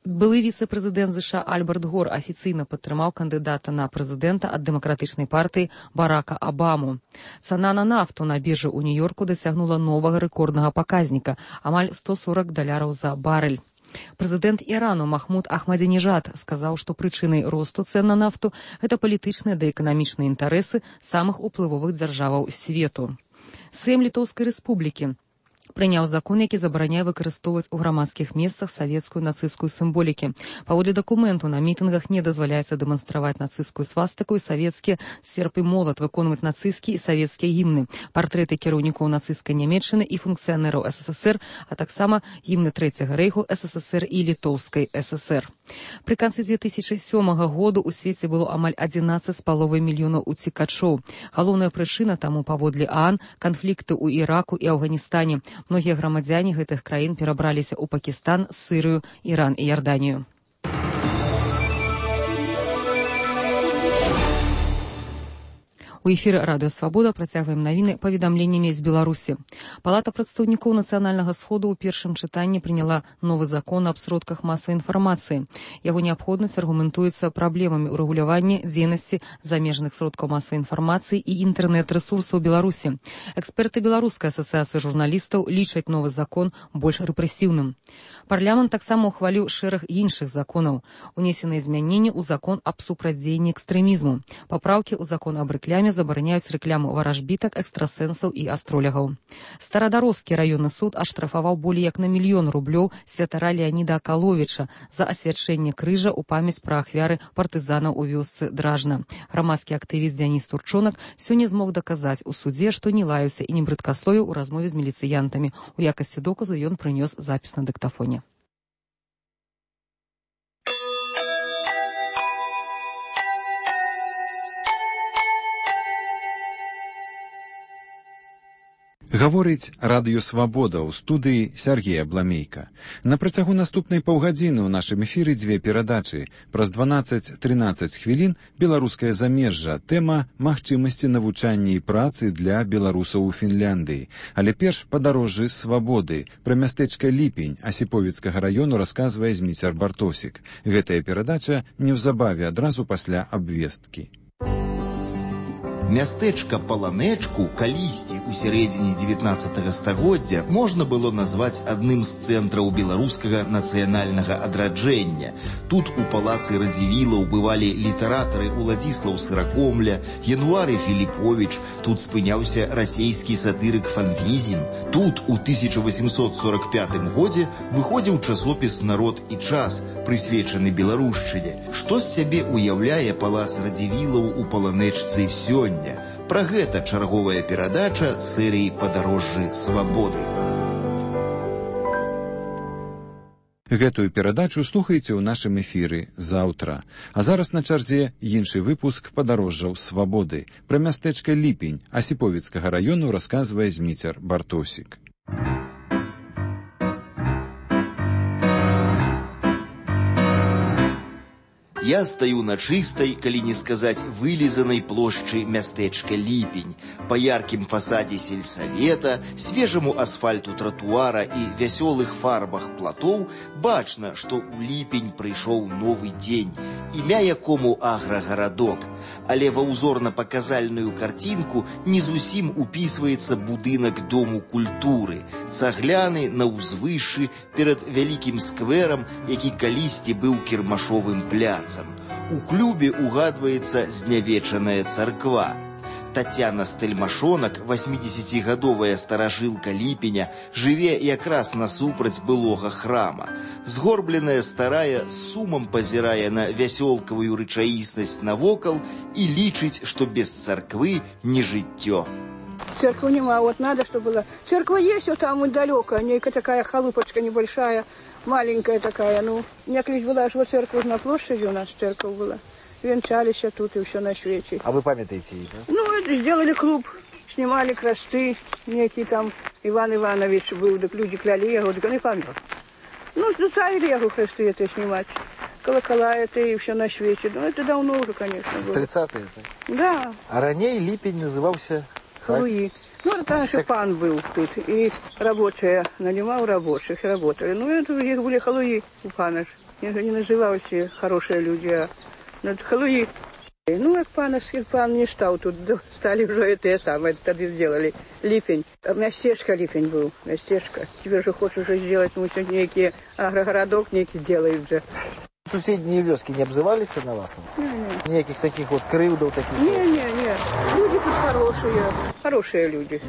Былы віцэ-прэзідэнт США Альберт Гор афіцыйна падтрымаў кандыдата на прэзідэнта ад дэмакратычнай партыі Барака Абаму. Цана на нафту на біржы ў Нью-Йорку дасягнула новага рэкорднага паказніка – амаль $140 за барэль. Прэзідэнт Ірану Махмуд Ахмадзінежад сказаў, што прычынай росту цэн на нафту – гэта палітычныя ды эканамічныя інтарэсы самых уплывовых дзяржаваў свету. Сэм Літоўскай рэспублікі прыняў закон, які забараняе выкарыстоўваць у грамадскіх месцах савецкую нацысцкую сімволікі. Паводле дакументу на мітынгах не дазваляецца дэманстраваць нацысцкую свастыку і савецкія серп і молат, выконваць нацысцкія і савецкія гімны, партрэты кіраўнікоў нацысцкай Нямецчыны і функцыянераў СССР, а таксама гімны Трэцяга рэйху СССР і Літоўскай ССР. Пры канцы 2007 году ў свеце было амаль 11,5 мільёнаў уцекачоў. Галоўная прычына таму, паводле ААН, канфлікты ў Іраку і Афганістане. Многія грамадзяне гэтых краін перабраліся ў Пакістан, Сырыю, Іран і Ярданію. У эфіры Радыё Свабода працягваем навіны паведамленнямі з Беларусі. Палата прадстаўнікоў нацыянальнага сходу ў першым чытанні прыняла новы закон аб сродках масавай інфармацыі. Яго неабходнасць аргументуецца праблемамі ў рэгуляванні дзейнасці замежных сродкаў масавай інфармацыі і інтэрнэт-рэсурсаў Беларусі. Эксперты Беларускай асацыяцыі журналістаў лічаць новы закон больш рэпрэсіўным. Парламент таксама ухваліў шэраг іншых законаў. Унесеныя змяненні ў закон аб супрацьдзеянні экстрэмізму. Папраўкі ў закон аб рэкляме забараняюць рэкламу варажбітак, экстрасэнсаў і астролягаў. Старадароскі раённы суд аштрафаваў болей як на 1 мільён рублёў святара Леаніда Акаловіча за асвячэнне крыжа ў памяць пра ахвяры партызанаў у вёсцы Дражна. Грамадскі актывіст Дзяніс Турчонак сёння змог даказаць у судзе, што не лаяўся і не брыдкасловіў у размове з міліцыянтамі. У якасці доказу ён прынёс запіс на дыктафоне. Гаворыць Радыё Свабода ў студыі Сергея Бламейка. На працягу наступнай паўгадзіны ў нашым эфіры дзве перадачы. Праз 12-13 хвілін беларускае замежжа. Тэма магчымасці навучання і працы для беларусаў у Фінляндыі. Але перш падарожжы свабоды. Пра мястэчка Ліпень Асіповіцкага раёну расказвае Зміцер Бартосік. Гэтая перадача неўзабаве адразу пасля абвесткі. Мястэчка Паланэчку калісьці ў сярэдзіне 19 стагоддзя можна было назваць адным з цэнтраў беларускага нацыянальнага адраджэння. Тут у палацы Радзівілаў бывалі літаратары Уладзіслаў Сыракомля, Януары Філіповіч, тут спыняўся расейскі сатырык Фанвізін. Тут у 1845 годзе выходзіў часопіс «Народ і час», прысвечаны беларушчыне. Што з сябе уяўляе палац Радзівілаў у Паланэчцы сёння? Пра гэта чарговая перадача серыі «Падарожжы свабоды». Гэтую перадачу слухайце ў нашым эфіры заўтра. А зараз на чарзе іншы выпуск падарожжаў свабоды. Пра мястэчка Ліпень Асіповіцкага раёну расказвае Зміцер Бартосік. Я стаю на чыстай, калі не сказаць вылізанай плошчы мястэчка Ліпень. Па яркім фасадзе сельсавета, свежаму асфальту тратуара і вясёлых фарбах платоў бачна, што ў Ліпень прыйшоў новы дзень, імя якому аграгарадок. Але ва ўзорна-паказальную карцінку не зусім упісваецца будынак Дому культуры, цагляны на ўзвышшы перад вялікім скверам, які калісьці быў кірмашовым пляцам. У клубе угадваецца знявечаная царква. Тацяна Стэльмашонак, 80-гадовая старажылка Ліпеня, жыве якраз насупраць былога храма. Згорбленая старая з сумам пазірае на вясёлкавую рэчаіснасць навокал і лічыць, што без царквы не жыццё. Церквы нема, вот надо, чтобы была. Церковь есть, вот там вот далеко, некая такая халупочка небольшая, маленькая такая, ну, некогда была аж вот церковь на площади у нас, церковь была. Венчались тут и все на свете. А вы памятаете ее, да? Ну, это сделали клуб, снимали кресты, некий там Иван Иванович был, так люди кляли его, так он и помер. Ну, заставили его кресты это снимать. Колокола это и все на свете. Ну, это давно уже, конечно, было. 30-е это? Да. А ранее Липень назывался... Халуи. Ну, это наш пан был тут, и рабочие, нанимал рабочих, работали. Ну, это их были халуи у пана. Их не называли хорошие люди, а это халуи. Ну, как пан не стал тут, стали уже это самое, тогда сделали Липень. Местечко Липень был, местечко. Теперь же хочешь уже сделать, ну, сегодня некий агрогородок некий делают же. Соседние вёски не обзывались на вас? Не. Никаких таких вот крыльдов таких? Не. Люди тут хорошие люди.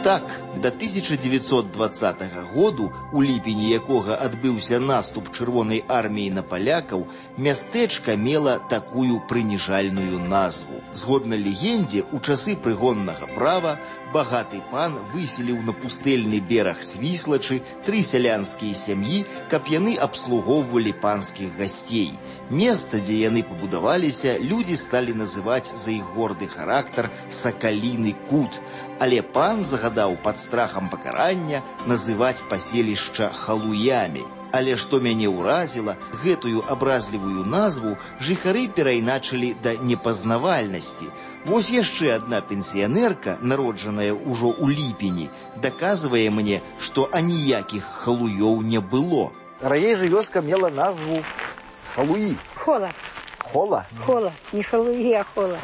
Так, до 1920 году, у ліпені якога адбыўся наступ чырвонай арміі на палякаў, мястэчка мела такую прыніжальную назву. Згодна легендзе, у часы прыгоннага права багаты пан выселіў на пустэльны бераг Свіслачы 3 сялянскія сям'і, каб яны абслугоўвалі панскіх гасцей. Месца, дзе яны пабудаваліся, людзі сталі называць за іх горды характар Сакаліны кут, але пан загадаў пад страхам пакарання называць паселішча халуямі. Але што мяне ўразіла, гэтую абразлівую назву жыхары перайначылі да непазнавальнасці. Вось яшчэ адна пенсіянерка, народжаная ўжо ў ліпені, даказвае мне, што аніякіх халуёў не было. Раней же вёска мела назву Халуи. Хола. Хола? Хола. Не халуи, а хола.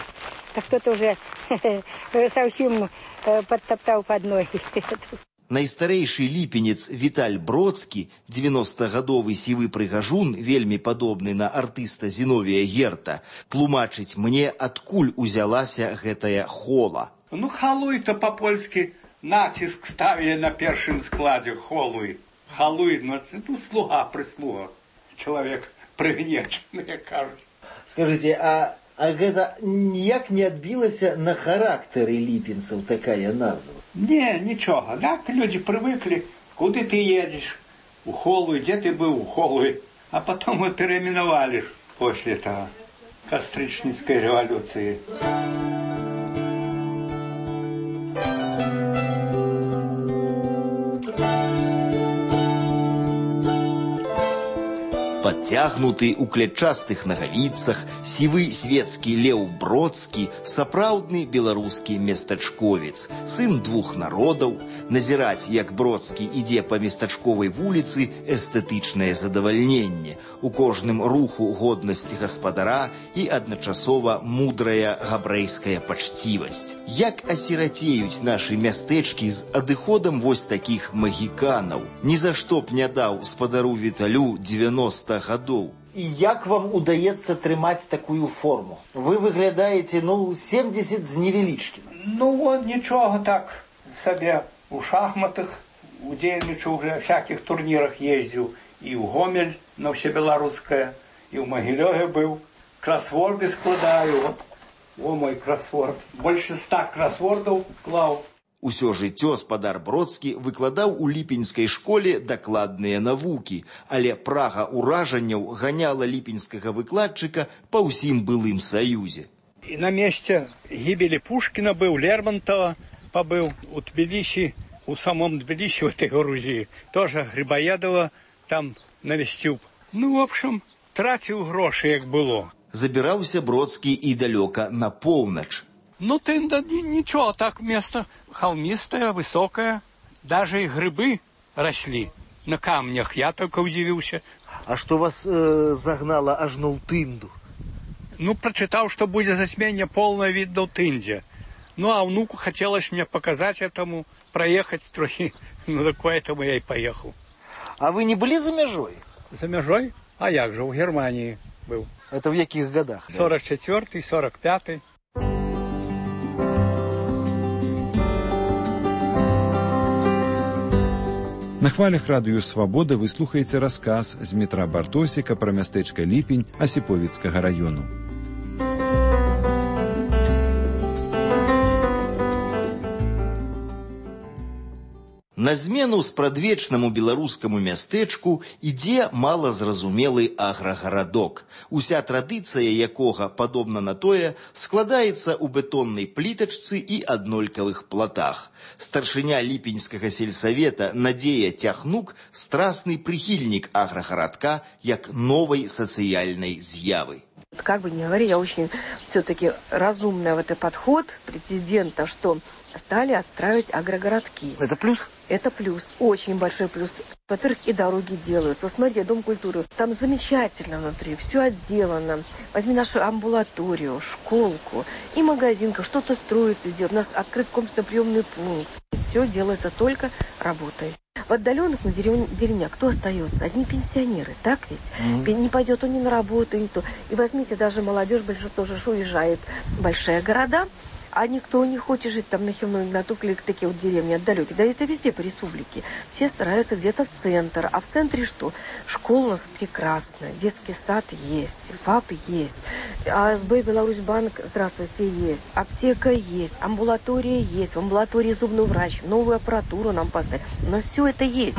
Так кто-то уже совсем подтоптал под ноги. Найстарэйшы ліпенец Віталь Бродскі, 90-гадовы сівы прыгажун, вельмі падобны на артыста Зіновія Герта, тлумачыць мне, адкуль узялася гэтая хола. Ну, халуй-то па-польскі націск ставілі на першым складзе холуй. Халуй, ну, слуга-прыслуга. Чалавек прыгнечаны, як кажуць. Скажите, а гэта ніяк не адбілася на характары ліпенцаў такая назва? Не, нічога. Так, люди привыкли. Куды ты едешь? У Холуй. Где ты был? У Холуй. А потом мы переименовали после того Кастричницкой революции. Подтягнуты у клетчастых нагавіцах, сівы свецкі Леў Бродскі, сапраўдны беларускі местачковец, сын двух народаў. Назіраць, як Бродскі ідзе па местачковай вуліцы, эстэтычнае задавальненне. У кожным руху годнасць гаспадара і адначасова мудрая габрэйская пачцівасць. Як асірацеюць нашы мястэчкі з адыходам вось такіх магіканаў. Ні за што б не даў спадару Віталю 90 гадоў. І як вам удаецца трымаць такую форму? Вы выглядаеце, 70 з невялічкім. Вот нічога так сабе. У шахматах удзельнічаў, уже всяких турнірах ездзіў. І ў Гомель на ўсебеларускае, і ў Магілёве быў. Красворды складаю. О, мой кроссворд. Больше 100 кроссвордов клал. Усё жыццё спадар Бродскі выкладаў у ліпеньскай школе дакладныя навукі, але прага ўражанняў ганяла ліпеньскага выкладчыка па ўсім былым Саюзе. И на месте гибели Пушкина был, Лермонтова побыл, у Тбилиси, у самом Тбилиси, в этой Грузии, тоже Грибоедова там навестил. Ну, в общем, тратил гроши, як было. Забіраўся Бродскі і далёка на поўнач. Ну, ты ничего, так место холмистое, высокое. Даже и грибы росли на камнях. Я только удивился. А что вас загнало аж на Тынду? Ну, прочитал, что будет затмение полное видно в Тынде. Ну, а внуку хотелось мне показать этому, проехать трохи. Ну, так поэтому я и поехал. А вы не были за межой? За межой? А як же, в Германии был. Это в каких годах? 44-й, 45-й. На хвалях радыё «Свабода» вы слухаеце расказ з Дмітра Бартосіка пра мястэчка Ліпень Асіповіцкага раёну. На змену спрадвечнаму беларускаму мястэчку ідзе малазразумелы аграгарадок, уся традыцыя якога, падобна на тое, складаецца ў бетоннай плітачцы і аднолькавых платах. Старшыня ліпеньскага сельсавета Надзея Тяхнук – страстный прихильник аграгарадка як новой социальной з'явы. Как бы ни говори, я очень все-таки разумная в этот подход президента, что стали отстраивать агрогородки. Это плюс? Это плюс, очень большой плюс. Во-первых, и дороги делаются. Смотри, Дом культуры, там замечательно внутри, все отделано. Возьми нашу амбулаторию, школку и магазинка, что-то строится, делают. У нас открыт комплексно-приемный пункт. Все делается только работой. В отдаленных на деревнях кто остается? Одни пенсионеры, так ведь? Не пойдет он ни на работу, ни то. И возьмите, даже молодежь, большинство же уезжает в большие города, а никто не хочет жить там на Химной, на Тукле, такие вот деревни отдалекие. Да это везде по республике. Все стараются где-то в центр. А в центре что? Школа у нас прекрасная, детский сад есть, ФАП есть, АСБ Беларусьбанк, здравствуйте, есть, аптека есть, амбулатория есть, в амбулатории зубный врач, новую аппаратуру нам поставили. Но все это есть.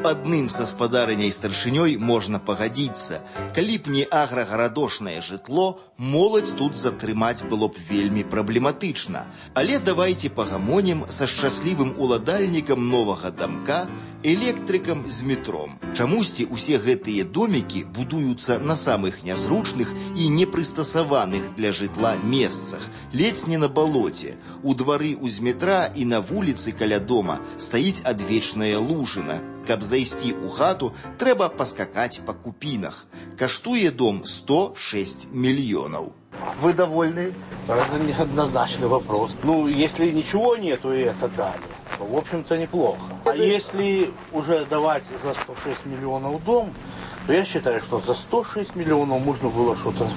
Адным са спадарыняй старшынёй можна пагадзіцца. Калі б не аграгарадошнае жытло, моладзь тут затрымаць было б вельмі праблематычна. Але давайце пагамонім са шчаслівым уладальнікам новага дамка, электрыкам з метром. Чамусьці усе гэтыя домікі будуюцца на самых нязручных і непрыстасаваных для жытла месцах, ледзь не на балоце. У двары з метра і на вуліцы каля дома стаіць адвечная лужына. Каб зайсці ў хату, трэба паскакаць па купінах. Каштуе дом 106 миллионов. Вы довольны? Это неоднозначный вопрос. Ну, если ничего нету и это дали, то, в общем-то, неплохо. А если уже давать за 106 миллионов дом, то я считаю, что за 106 миллионов можно было что-то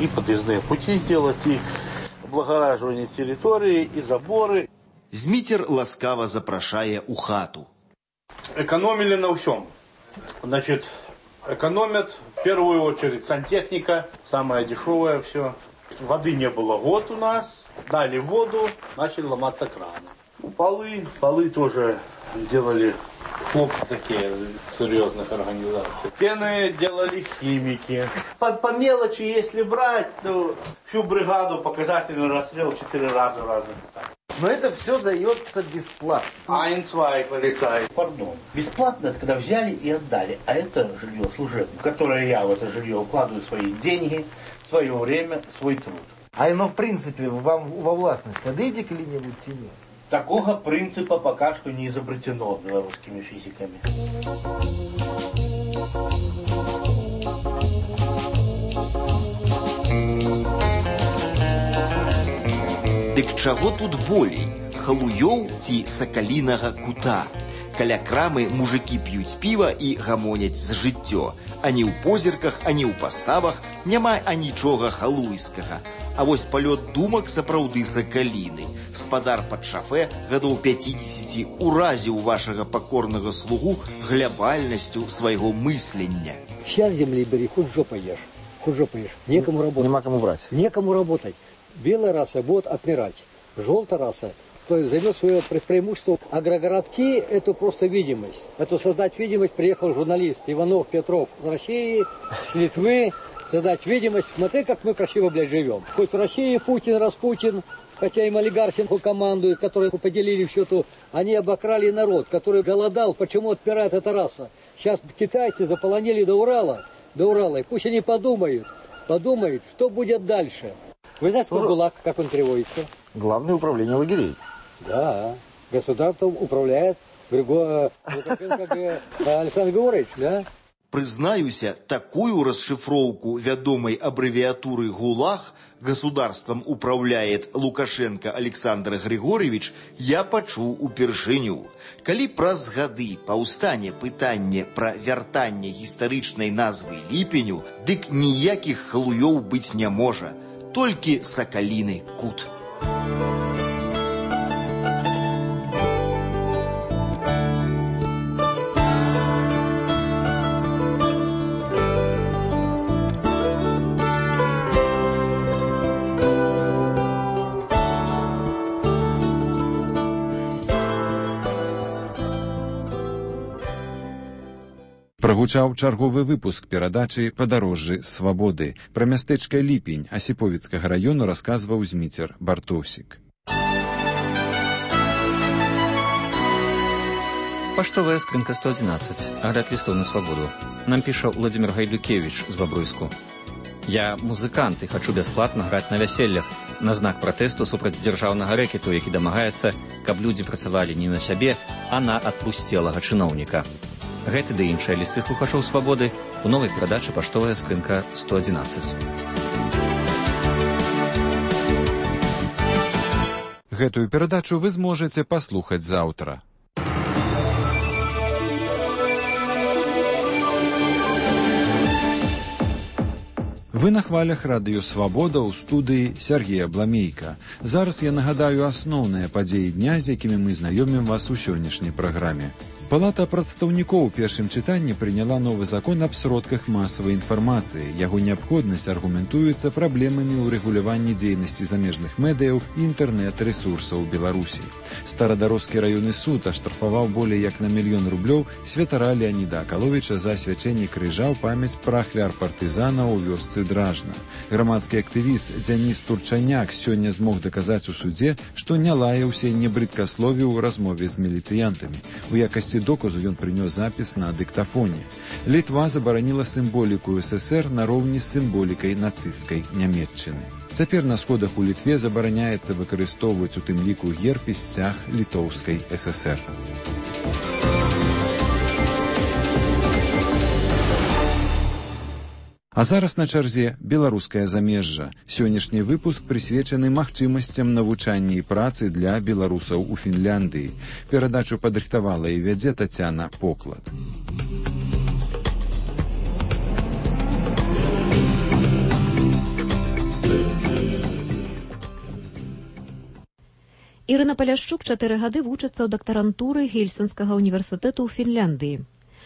и подъездные пути сделать, и облагораживание территории, и заборы. Змитер ласкаво запрашае ў хату. Экономили на всем. Значит, экономят в первую очередь сантехника, самое дешевое все. Воды не было год у нас, дали воду, начали ломаться краны. Полы тоже делали хлопцы такие из серьезных организаций. Стены делали химики. По мелочи, если брать, то всю бригаду показательный расстрел 4 раза в разных местах. Но это все дается бесплатно. Айнцвай, полицай. Пардон. Бесплатно это когда взяли и отдали. А это жилье служебное, в которое я в это жилье укладываю свои деньги, свое время, свой труд. А оно в принципе вам во властность отдайте коли-нибудь тебе? Такого принципа пока что не изобретено белорусскими физиками. Дык чаго тут болей? Халуёў ці сакалінага кута? Каля крамы мужыкі п'юць піва і гамоняць з жыццё. Ані ў позірках, ані ў паставах няма анічога халуйскага. А вось палёт думак сапраўды сакаліны. Спадар пад шафе гадоў 50 уразіў вашага пакорнага слугу глябальнасцю свайго мыслення. Сейчас земли бери, хоть жопой ешь. Хоть жопой ешь. Некому работать. Нема кому брать. Некому работать. Белая раса будет отмирать. Желтая раса займет свое преимущество. Агрогородки – это просто видимость. Это создать видимость приехал журналист Иванов, Петров с России, с Литвы. Создать видимость. Смотри, как мы красиво, блядь, живем. Хоть в России Путин, Распутин, хотя им олигархи командуют, которые поделили все то, они обокрали народ, который голодал. Почему отпирает эта раса? Сейчас китайцы заполонили до Урала, и пусть они подумают, что будет дальше. Вы знаете, что ГУЛАГ, как он переводится? Главное управление лагерей. Да, государством управляет Александр Григорьевич, да? Прызнаюся, такую расшифроўку вядомай абрэвіятуры ГУЛАГ «Государством управляет Лукашенко Александр Григорьевич» я пачуў упершыню. Калі праз гады паўстане пытанне пра вяртанне гістарычнай назвы ліпеню, дык ніякіх халуёў быць не можа, толькі сакаліны кут. Прагучаў чарговы выпуск перадачы «Падарожжы свабоды». Пра мястэчка Ліпень Асіповіцкага раёну расказваў Зміцер Бартосік. Паштовая скрынка 111. Агляд лістоў на свабоду. Нам піша Владимир Гайдукевич з Бабруйску. Я музыкант і хачу бясплатна граць на вяселлях на знак пратэсту супраць дзяржаўнага рэкету, які дамагаецца, каб людзі працавалі не на сябе, а на адпусцелага чыноўніка. Гэты ды іншыя лісты слухачоў свабоды у новай перадачы «Паштовая скрынка 111». Гэтую перадачу вы зможаце паслухаць заўтра. Вы на хвалях радыё «Свабода» ў студыі Сергея Бламейка. Зараз я нагадаю асноўныя падзеі дня, з якімі мы знаёмім вас у сённяшняй праграме. Палата прадстаўнікоў у першым чытанні прыняла новы закон аб сродках масавай інфармацыі. Яго неабходнасць аргументуецца праблемамі ў рэгуляванні дзейнасці замежных медыяў і інтэрнэт-рэсурсаў Беларусі. Старадарожскі раённы суд аштрафаваў болей як на 1 000 000 рублёў святара Леаніда Акаловіча за асвячэнне крыжа ў памяць пра ахвяр партызана ў вёсцы Дражна. Грамадскі актывіст Дзяніс Турчаняк сёння змог даказаць у судзе, што не лаяўся і не брыдкасловіў у размове з міліцыянтамі. У якасці доказу ён прынёс запіс на дыктафоне. Літва забараніла сімволіку ССР нароўні з сімволікай нацысцкай Нямецчыны. Цяпер на сходах у Літве забараняецца выкарыстоўваць у тым ліку герб і сцяг літоўскай ССР. А зараз на чарзе беларускае замежжа. Сённяшні выпуск прысвечаны магчымасцям навучання і працы для беларусаў у Фінляндыі. Перадачу падрыхтавала і вядзе Тацяна Поклад. Ірына Паляшчук 4 гады вучыцца ў дактарантуры Гельсінскага універсітэту ў Фінляндыі.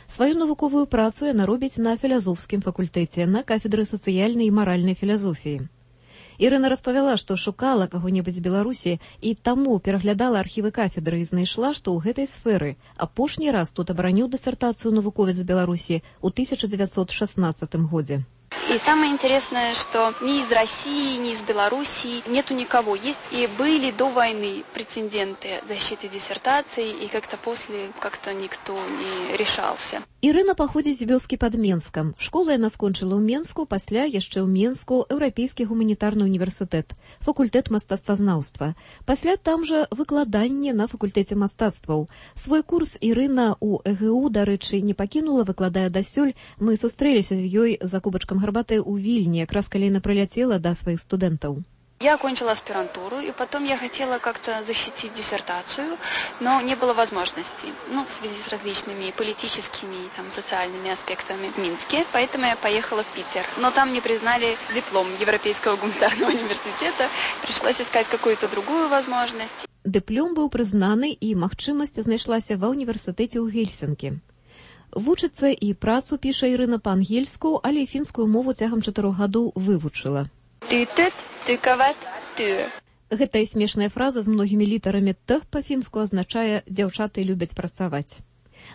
Сваю навуковую працу яна робіць на філазофскім факультэце на кафедры сацыяльнай і маральнай філазофіі. Ірына распавяла, што шукала каго-небудзь з Беларусі і таму пераглядала архівы кафедры і знайшла, што ў гэтай сферы апошні раз тут абараніў дысертацыю навуковец з Беларусі ў 1916 годзе. И самое интересное, что ни из России, ни из Белоруссии нету никого. Есть и были до войны прецеденты защиты диссертаций, и как-то после как-то никто не решался. Ірына паходзіць з вёскі пад Менскам. Школу яна скончыла ў Менску, пасля яшчэ ў Менску Еўрапейскі гуманітарны універсітэт, факультэт мастацтвазнаўства. Пасля там жа выкладанне на факультэце мастацтваў. Свой курс Ірына ў ЭГУ, дарэчы, не пакінула, выкладае дасюль. Мы сустрэліся з ёй за кубачкам гарбаты ў Вільні, якраз калі яна прыляцела да сваіх студэнтаў. Я окончила аспирантуру, и потом я хотела как-то защитить диссертацию, но не было возможности, в связи с различными политическими и социальными аспектами в Минске, поэтому я поехала в Питер. Но там не признали диплом Европейского гуманитарного университета, пришлось искать какую-то другую возможность. Дыплом быў прызнаны, і магчымасць знайшлася ва ўніверсітэце ў Гельсінкі. Вучыцца і працу піша Ірына па-ангельску, але і фінскую мову цягам 4 гадоў вывучыла. Гэтая смешная фраза з многімі літарамі «т» па-фінску азначае «дзяўчаты любяць працаваць».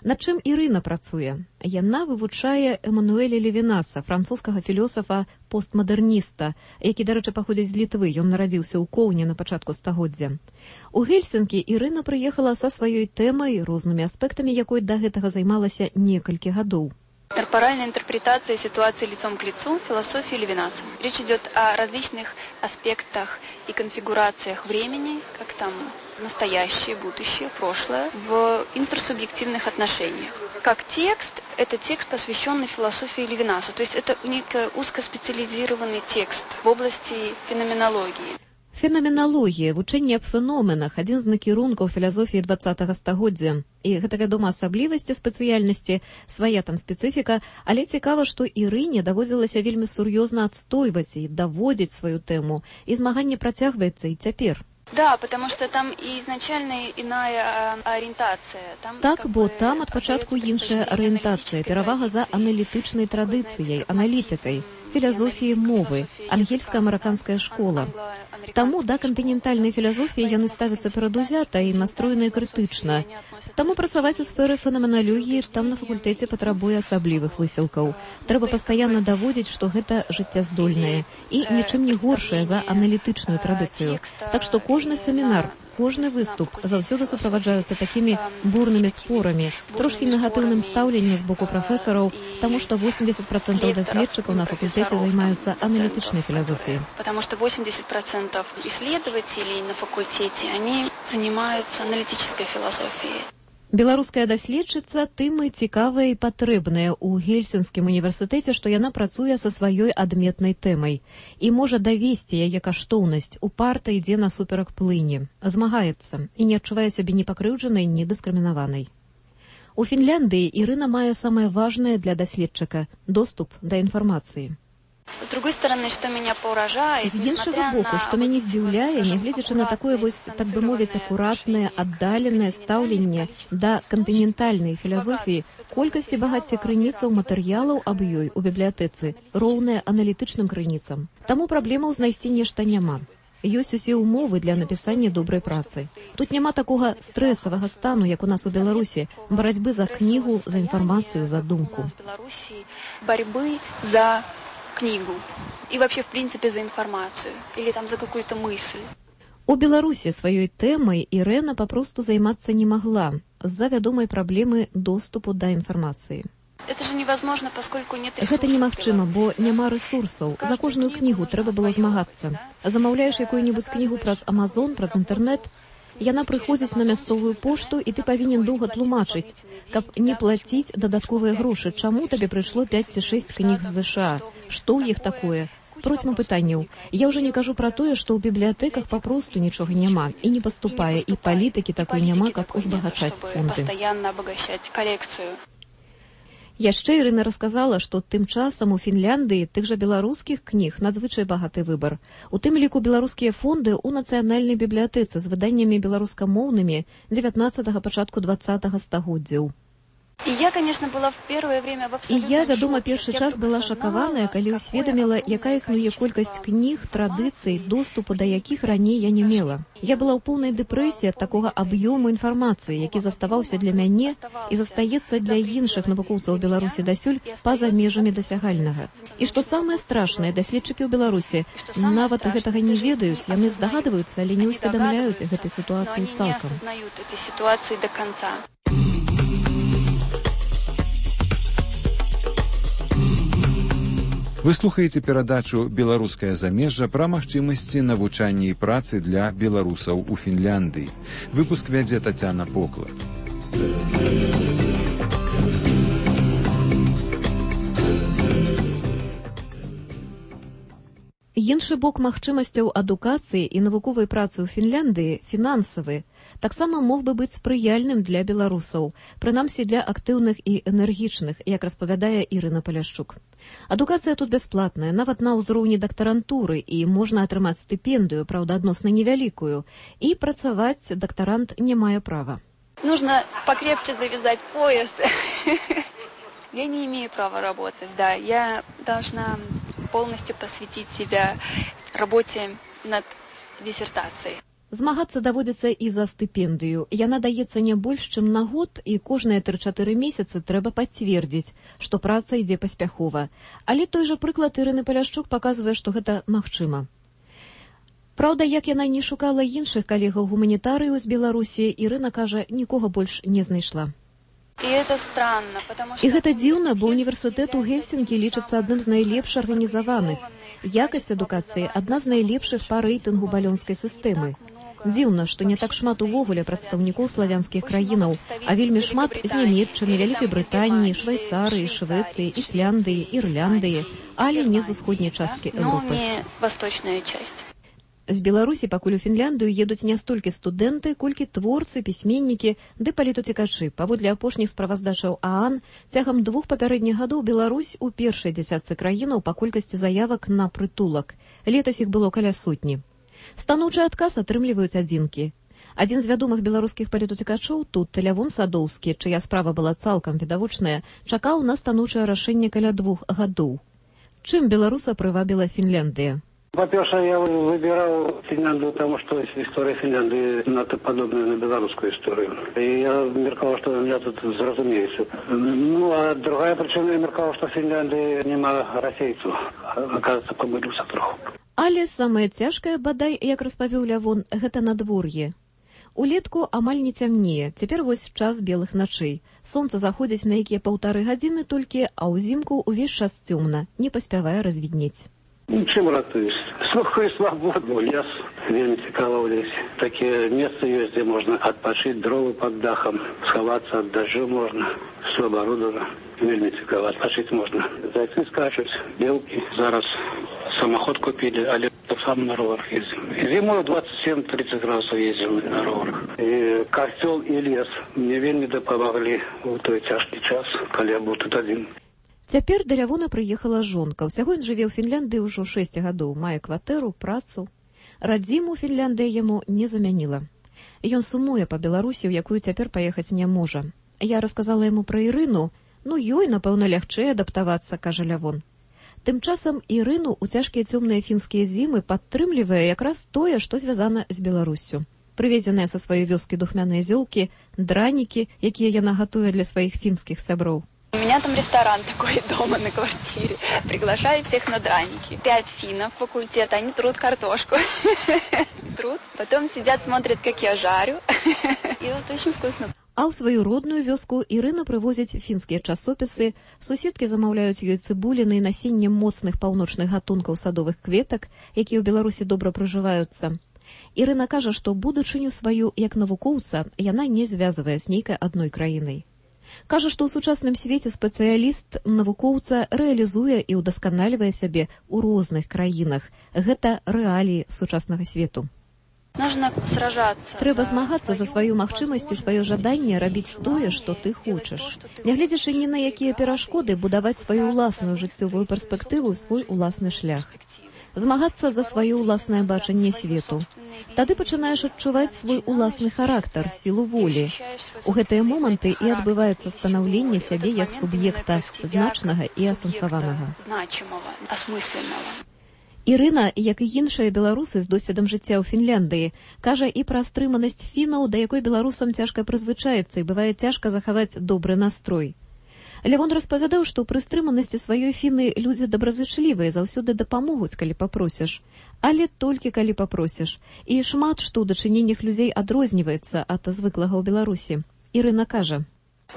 Над чым Ірына працуе? Яна вывучае Эмануэля Левінаса, французскага філёсафа-постмадэрніста, які, дарэчы, паходзіць з Літвы, ён нарадзіўся ў Коўне на пачатку стагоддзя. У Гельсінкі Ірына прыехала са сваёй тэмай, рознымі аспектамі якой да гэтага займалася некалькі гадоў. Корпоральная интерпретация ситуации лицом к лицу философии Левинаса. Речь идет о различных аспектах и конфигурациях времени, как там настоящее, будущее, прошлое, в интерсубъективных отношениях. Как текст, это текст, посвященный философии Левинаса. То есть это некий узкоспециализированный текст в области феноменологии. Феноменологія, вучэнне аб феноменах, адзін з накірункаў філасофіі 20-го стагоддзя. І гэта, вядома, асаблівасці спецыяльнасці, свая там спецыфіка, але цікава, што Ірыне даводзілася вельмі сур'ёзна адстойваць і даводзіць сваю тэму, і змаганне працягваецца і цяпер. Да, потому что там и изначально иная ориентация. Так, бо там ад пачатку іншая арыентацыя, перавага за аналітычнай традыцыяй, аналітыкай, філасофіі мовы, ангельска-амерыканская школа. Таму да кантынентальнай філасофіі яны ставяцца перадузята і настроеныя крытычна. Таму працаваць у сферы фенаменалогіі там на факультэце патрабуе асаблівых высілкаў. Трэба пастаянна даводзіць, што гэта жыццяздольнае і нічым не горшае за аналітычную традыцыю. Так што кожны семінар, кожны выступ заўсёды суправаджаюцца такімі бурнымі спорамі, трошкі негатыўным стаўленнем з боку прафесараў, таму што 80% даследчыкаў на факультэце займаюцца аналітычнай філасофіяй. Потому что 80% исследователей на факультете, они занимаются аналитической философией. Беларуская даследчыца тым і цікавая і патрэбная ў Гельсінскім універсітэце, што яна працуе са сваёй адметнай тэмай і можа давесці яе каштоўнасць, упарта ідзе насуперак плыні, змагаецца і не адчувае сябе ні пакрыўджанай, ні дыскрымінаванай. У Фінляндыі Ірына мае самае важнае для даследчыка – доступ да інфармацыі. С другой стороны, что меня поражает, з іншага боку, што мяне здзіўляе, нягледзячы на такое так бы мовіць, акуратнае, аддаленае стаўленне да кантынентальнай філасофіі, колькасць і багацце крыніцаў матэрыялаў аб ёй у бібліятэцы роўнае аналітычным крыніцам. Таму праблемаў знайсці нешта няма. Ёсць усе ўмовы для напісання добрай працы. Тут няма такога стрэсавага стану, як у нас у Беларусі, барацьбы за кнігу, за інфармацыю, за думку. Борьбы за книгу и вообще, в принципе, за информацию или там за какую-то мысль. У Беларусі сваёй тэмай Ірына папросту займацца не магла з-за вядомай праблемы доступу да інфармацыі. Это же невозможно, поскольку нет ресурсов. Гэта немагчыма, бо няма рэсурсаў. За кожную кнігу трэба было змагацца. Замаўляеш якую-небудзь кнігу праз Амазон, праз інтэрнэт, яна прыходзіць на мясцовую пошту, і ты павінен доўга тлумачыць, каб не плаціць дадатковыя грошы. Чаму табе прыйшло 5 ці 6 кніг з ЗША? Што ў іх такое? Процьма пытанняў. Я ўжо не кажу пра тое, што ў бібліятэках папросту нічога няма і не паступае, і палітыкі такой няма, каб узбагачаць фонды. Пастаянна абагачаць калекцыю. Яшчэ Ірына расказала, што тым часам у Фінляндыі тых жа беларускіх кніг надзвычай багаты выбар. У тым ліку беларускія фонды ў нацыянальнай бібліятэцы з выданнямі беларускамоўнымі 19-го, пачатку 20-го стагоддзяў. И я, конечно, была в первое время в абсолютном шоке. Вядома, першы час была шакаваная, калі ўсведаміла, якая існуе колькасць кніг, традыцый, доступу да якіх раней я не мела. Я была ў поўнай дэпрэсіі ад такога аб'ёму інфармацыі, які заставаўся для мяне і застаецца для іншых навукоўцаў Беларусі дасюль па-за межамі дасягальнага. І што самае страшнае, даследчыкі ў Беларусі нават гэтага не ведаюць, яны здагадваюцца, але не ўсведамляюць гэтай сітуацыі цалкам. Вы слухаеце перадачу «Беларускае замежжа» пра магчымасці навучання і працы для беларусаў у Фінляндыі. Выпуск вядзе Тацяна Покла. Іншы бок магчымасцяў адукацыі і навуковай працы ў Фінляндыі фінансавы таксама мог бы быць спрыяльным для беларусаў, прынамсі для актыўных і энергічных, як распавядае Ірына Паляшчук. Адукацыя тут бясплатная, нават на ўзроўні дактарантуры, і можна атрымаць стыпендыю, праўда, адносна невялікую, і працаваць дактарант не мае права. Нужно покрепче завязать пояс. Я не имею права работать, да. Я должна полностью посвятить себя работе над диссертацией. Змагацца даводзіцца і за стыпендыю. Яна даецца не больш, чым на год, і кожныя 3-4 месяцы трэба пацвердзіць, што праца ідзе паспяхова. Але той жа прыклад Ірыны Паляшчук паказвае, што гэта магчыма. Праўда, як яна не шукала іншых калегаў-гуманітарыяў з Беларусі, Ірына кажа, нікога больш не знайшла. І гэта дзіўна, бо універсітэт у Гельсінкі лічыцца адным з найлепш арганізаваных. Якасць адукацыі адна з найлепшых па рэйтынгу балёнскай сістэмы. Дзіўна, што не так шмат увогуле прадстаўнікоў славянскіх краінаў, а вельмі шмат з Нямецчыны, Вялікай Брытаніі, Швайцарыі, Швецыі, Ісляндыі, Ірландыі, але не з усходняй часткі Еўропы. З Беларусі пакуль у Фінляндыю едуць не столькі студэнты, колькі творцы, пісьменнікі ды палітуцікачы. Паводле апошніх справаздачаў ААН, цягам 2 папярэдніх гадоў Беларусь у першай дзясятцы краінаў па колькасці заявак на прытулак. Летась іх было каля 100. Станоўчы адказ атрымліваюць адзінкі. Адзін з вядомых беларускіх палітуцікачоў тут, Лявон Садоўскі, чыя справа была цалкам відавочная, чакаў на станоўчае рашэнне каля 2 гадоў. Чым беларуса прывабіла Фінляндыя? По-перше, я выбирал Финляндию, потому что история Финляндии надто подобная на белорусскую историю. И я меркал, что меня тут зразумеется. Ну, а другая причина, я меркал, что в Финляндии нема расейцев. Оказывается, помылился троху. Але самае цяжкае, бадай, як распавёў Лявон, гэта надвор'е. Улетку амаль не цямнее, цяпер вось час белых начэй. Сонца заходзіць на якія 1,5 гадзіны толькі, а ўзімку ўвесь час цёмна, не паспявае развіднець. Чым ратуюсь? Слухаю свабоду, лес, вельмі цікава ў лесе. Такія месцы ёсць, дзе можна адпачыць, дровы пад дахам, схавацца ад дажджу можна, все аборудовано. Вельмі цікава, адпачыць можна. Зайцы скачуць, белкі. Зараз самоход купілі, але сам на роварах ездзім. Зімою 27-30 градусаў ездзім на роварах. І касцёл і лес мне вельмі дапамаглі ў той цяжкі час, калі я быў тут адзін. Цяпер да Лявона прыехала жонка. Усяго ён жыве ў Фінляндыі ўжо 6 гадоў, мае кватэру, працу. Радзіму Фінляндыя яму не замяніла. Ён сумуе па Беларусі, у якую цяпер паехаць не можа. Я расказала яму пра Ірыну. Ну, ёй, напэўна, лягчэй адаптавацца, кажа Лявон. Тым часам Ірыну ў цяжкія цёмныя фінскія зімы падтрымлівае якраз тое, што звязана з Беларуссю. Прывезеныя са сваёй вёскі духмяныя зёлкі, дранікі, якія яна гатуе для сваіх фінскіх сяброў. У меня там ресторан такой дома на квартире. Приглашаю всех на драники. 5 финнов факультета, они трут картошку. Трут. Потом сидят, смотрят, как я жарю. И вот очень вкусно. А ў сваю родную вёску Ірына прывозіць фінскія часопісы, суседкі замаўляюць ёй цыбуліны і насенне моцных паўночных гатункаў садовых кветак, якія ў Беларусі добра прыжываюцца. Ірына кажа, што будучыню сваю як навукоўца яна не звязвае з нейкай адной краінай. Кажа, што ў сучасным свеце спецыяліст навукоўца рэалізуе і ўдасканальвае сябе ў розных краінах. Гэта рэаліі сучаснага свету. Трэба змагацца за сваю магчымасць і сваё жаданне рабіць тое, што ты хочаш. Нягледзячы ні на якія перашкоды, будаваць сваю ўласную жыццёвую перспектыву, свой уласны шлях. Змагацца за сваё ўласнае бачанне свету. Тады пачынаеш адчуваць свой уласны характар, сілу волі. У гэтыя моманты і адбываецца станаўленне сябе як суб'екта, значнага і асэнсаванага. Ірына, як і іншыя беларусы з досведам жыцця ў Фінляндыі, кажа і пра стрыманасць фінаў, да якой беларусам цяжка прызвычаіцца і бывае цяжка захаваць добры настрой. Лявон распавядаў, што пры стрыманасці сваёй фіны людзі добразычлівыя, заўсёды дапамогуць, калі папросіш. Але толькі калі папросіш. І шмат што ў дачыненнях людзей адрозніваецца ад звыклага ў Беларусі. Ірына кажа.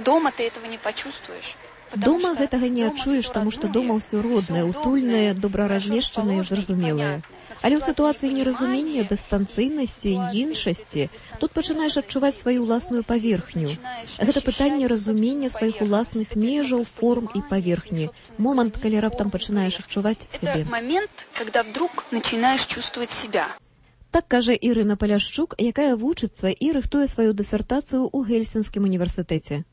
Дома ты этого не почувствуешь. Дома гэтага не адчуеш, таму што дома ўсё роднае, утульнае, добра размешчанае, зразумелае. Але ў сітуацыі неразумення, дыстанцыйнасці, іншасці, тут пачынаеш адчуваць сваю ўласную паверхню. Гэта пытанне разумення сваіх уласных межаў, форм і паверхні. Момант, калі раптам пачынаеш адчуваць сябе. Это момент, когда вдруг начинаешь чувствовать себя. Так кажа Ірына Паляшчук, якая вучыцца і рыхтуе сваю дысертацыю ў Гельсінскім універсітэце.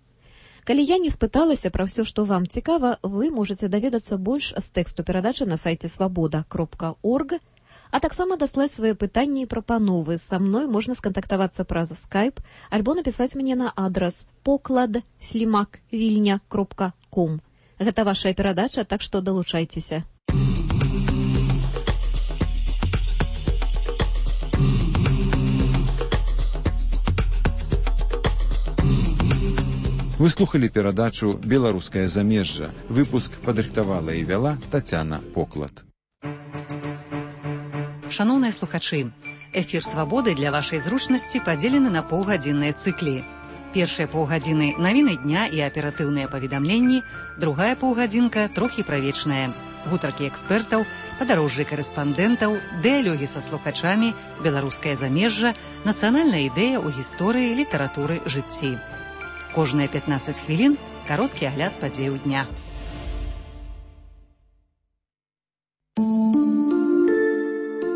Калі я не спыталася пра ўсё, што вам цікава, вы можаце даведацца больш з тэксту перадачы на сайце свабода.орг, а таксама даслаць свае пытанні і прапановы. Са мной можна скантактавацца праз Skype альбо напісаць мне на адрас poklad@vilnya.com. Гэта вашая перадача, так што далучайцеся. Вы слухали перадачу «Беларускае замежжа». Выпуск падрыхтавала і вяла Тацяна Поклад. Шановныя слухачы, эфір «Свабоды» для вашай зручнасці падзелены на паўгадзінныя цыклі. Першыя паўгадзіны – навіны дня і аператыўныя паведамленні, другая паўгадзінка – трохі правечная. Гутаркі экспертаў, падарожжы карэспандэнтаў, дыялогі са слухачамі, беларускае замежжа, нацыянальная ідэя ў гісторыі, літаратуры, жыцці. Кожныя 15 хвілін – кароткі агляд падзеяў дня.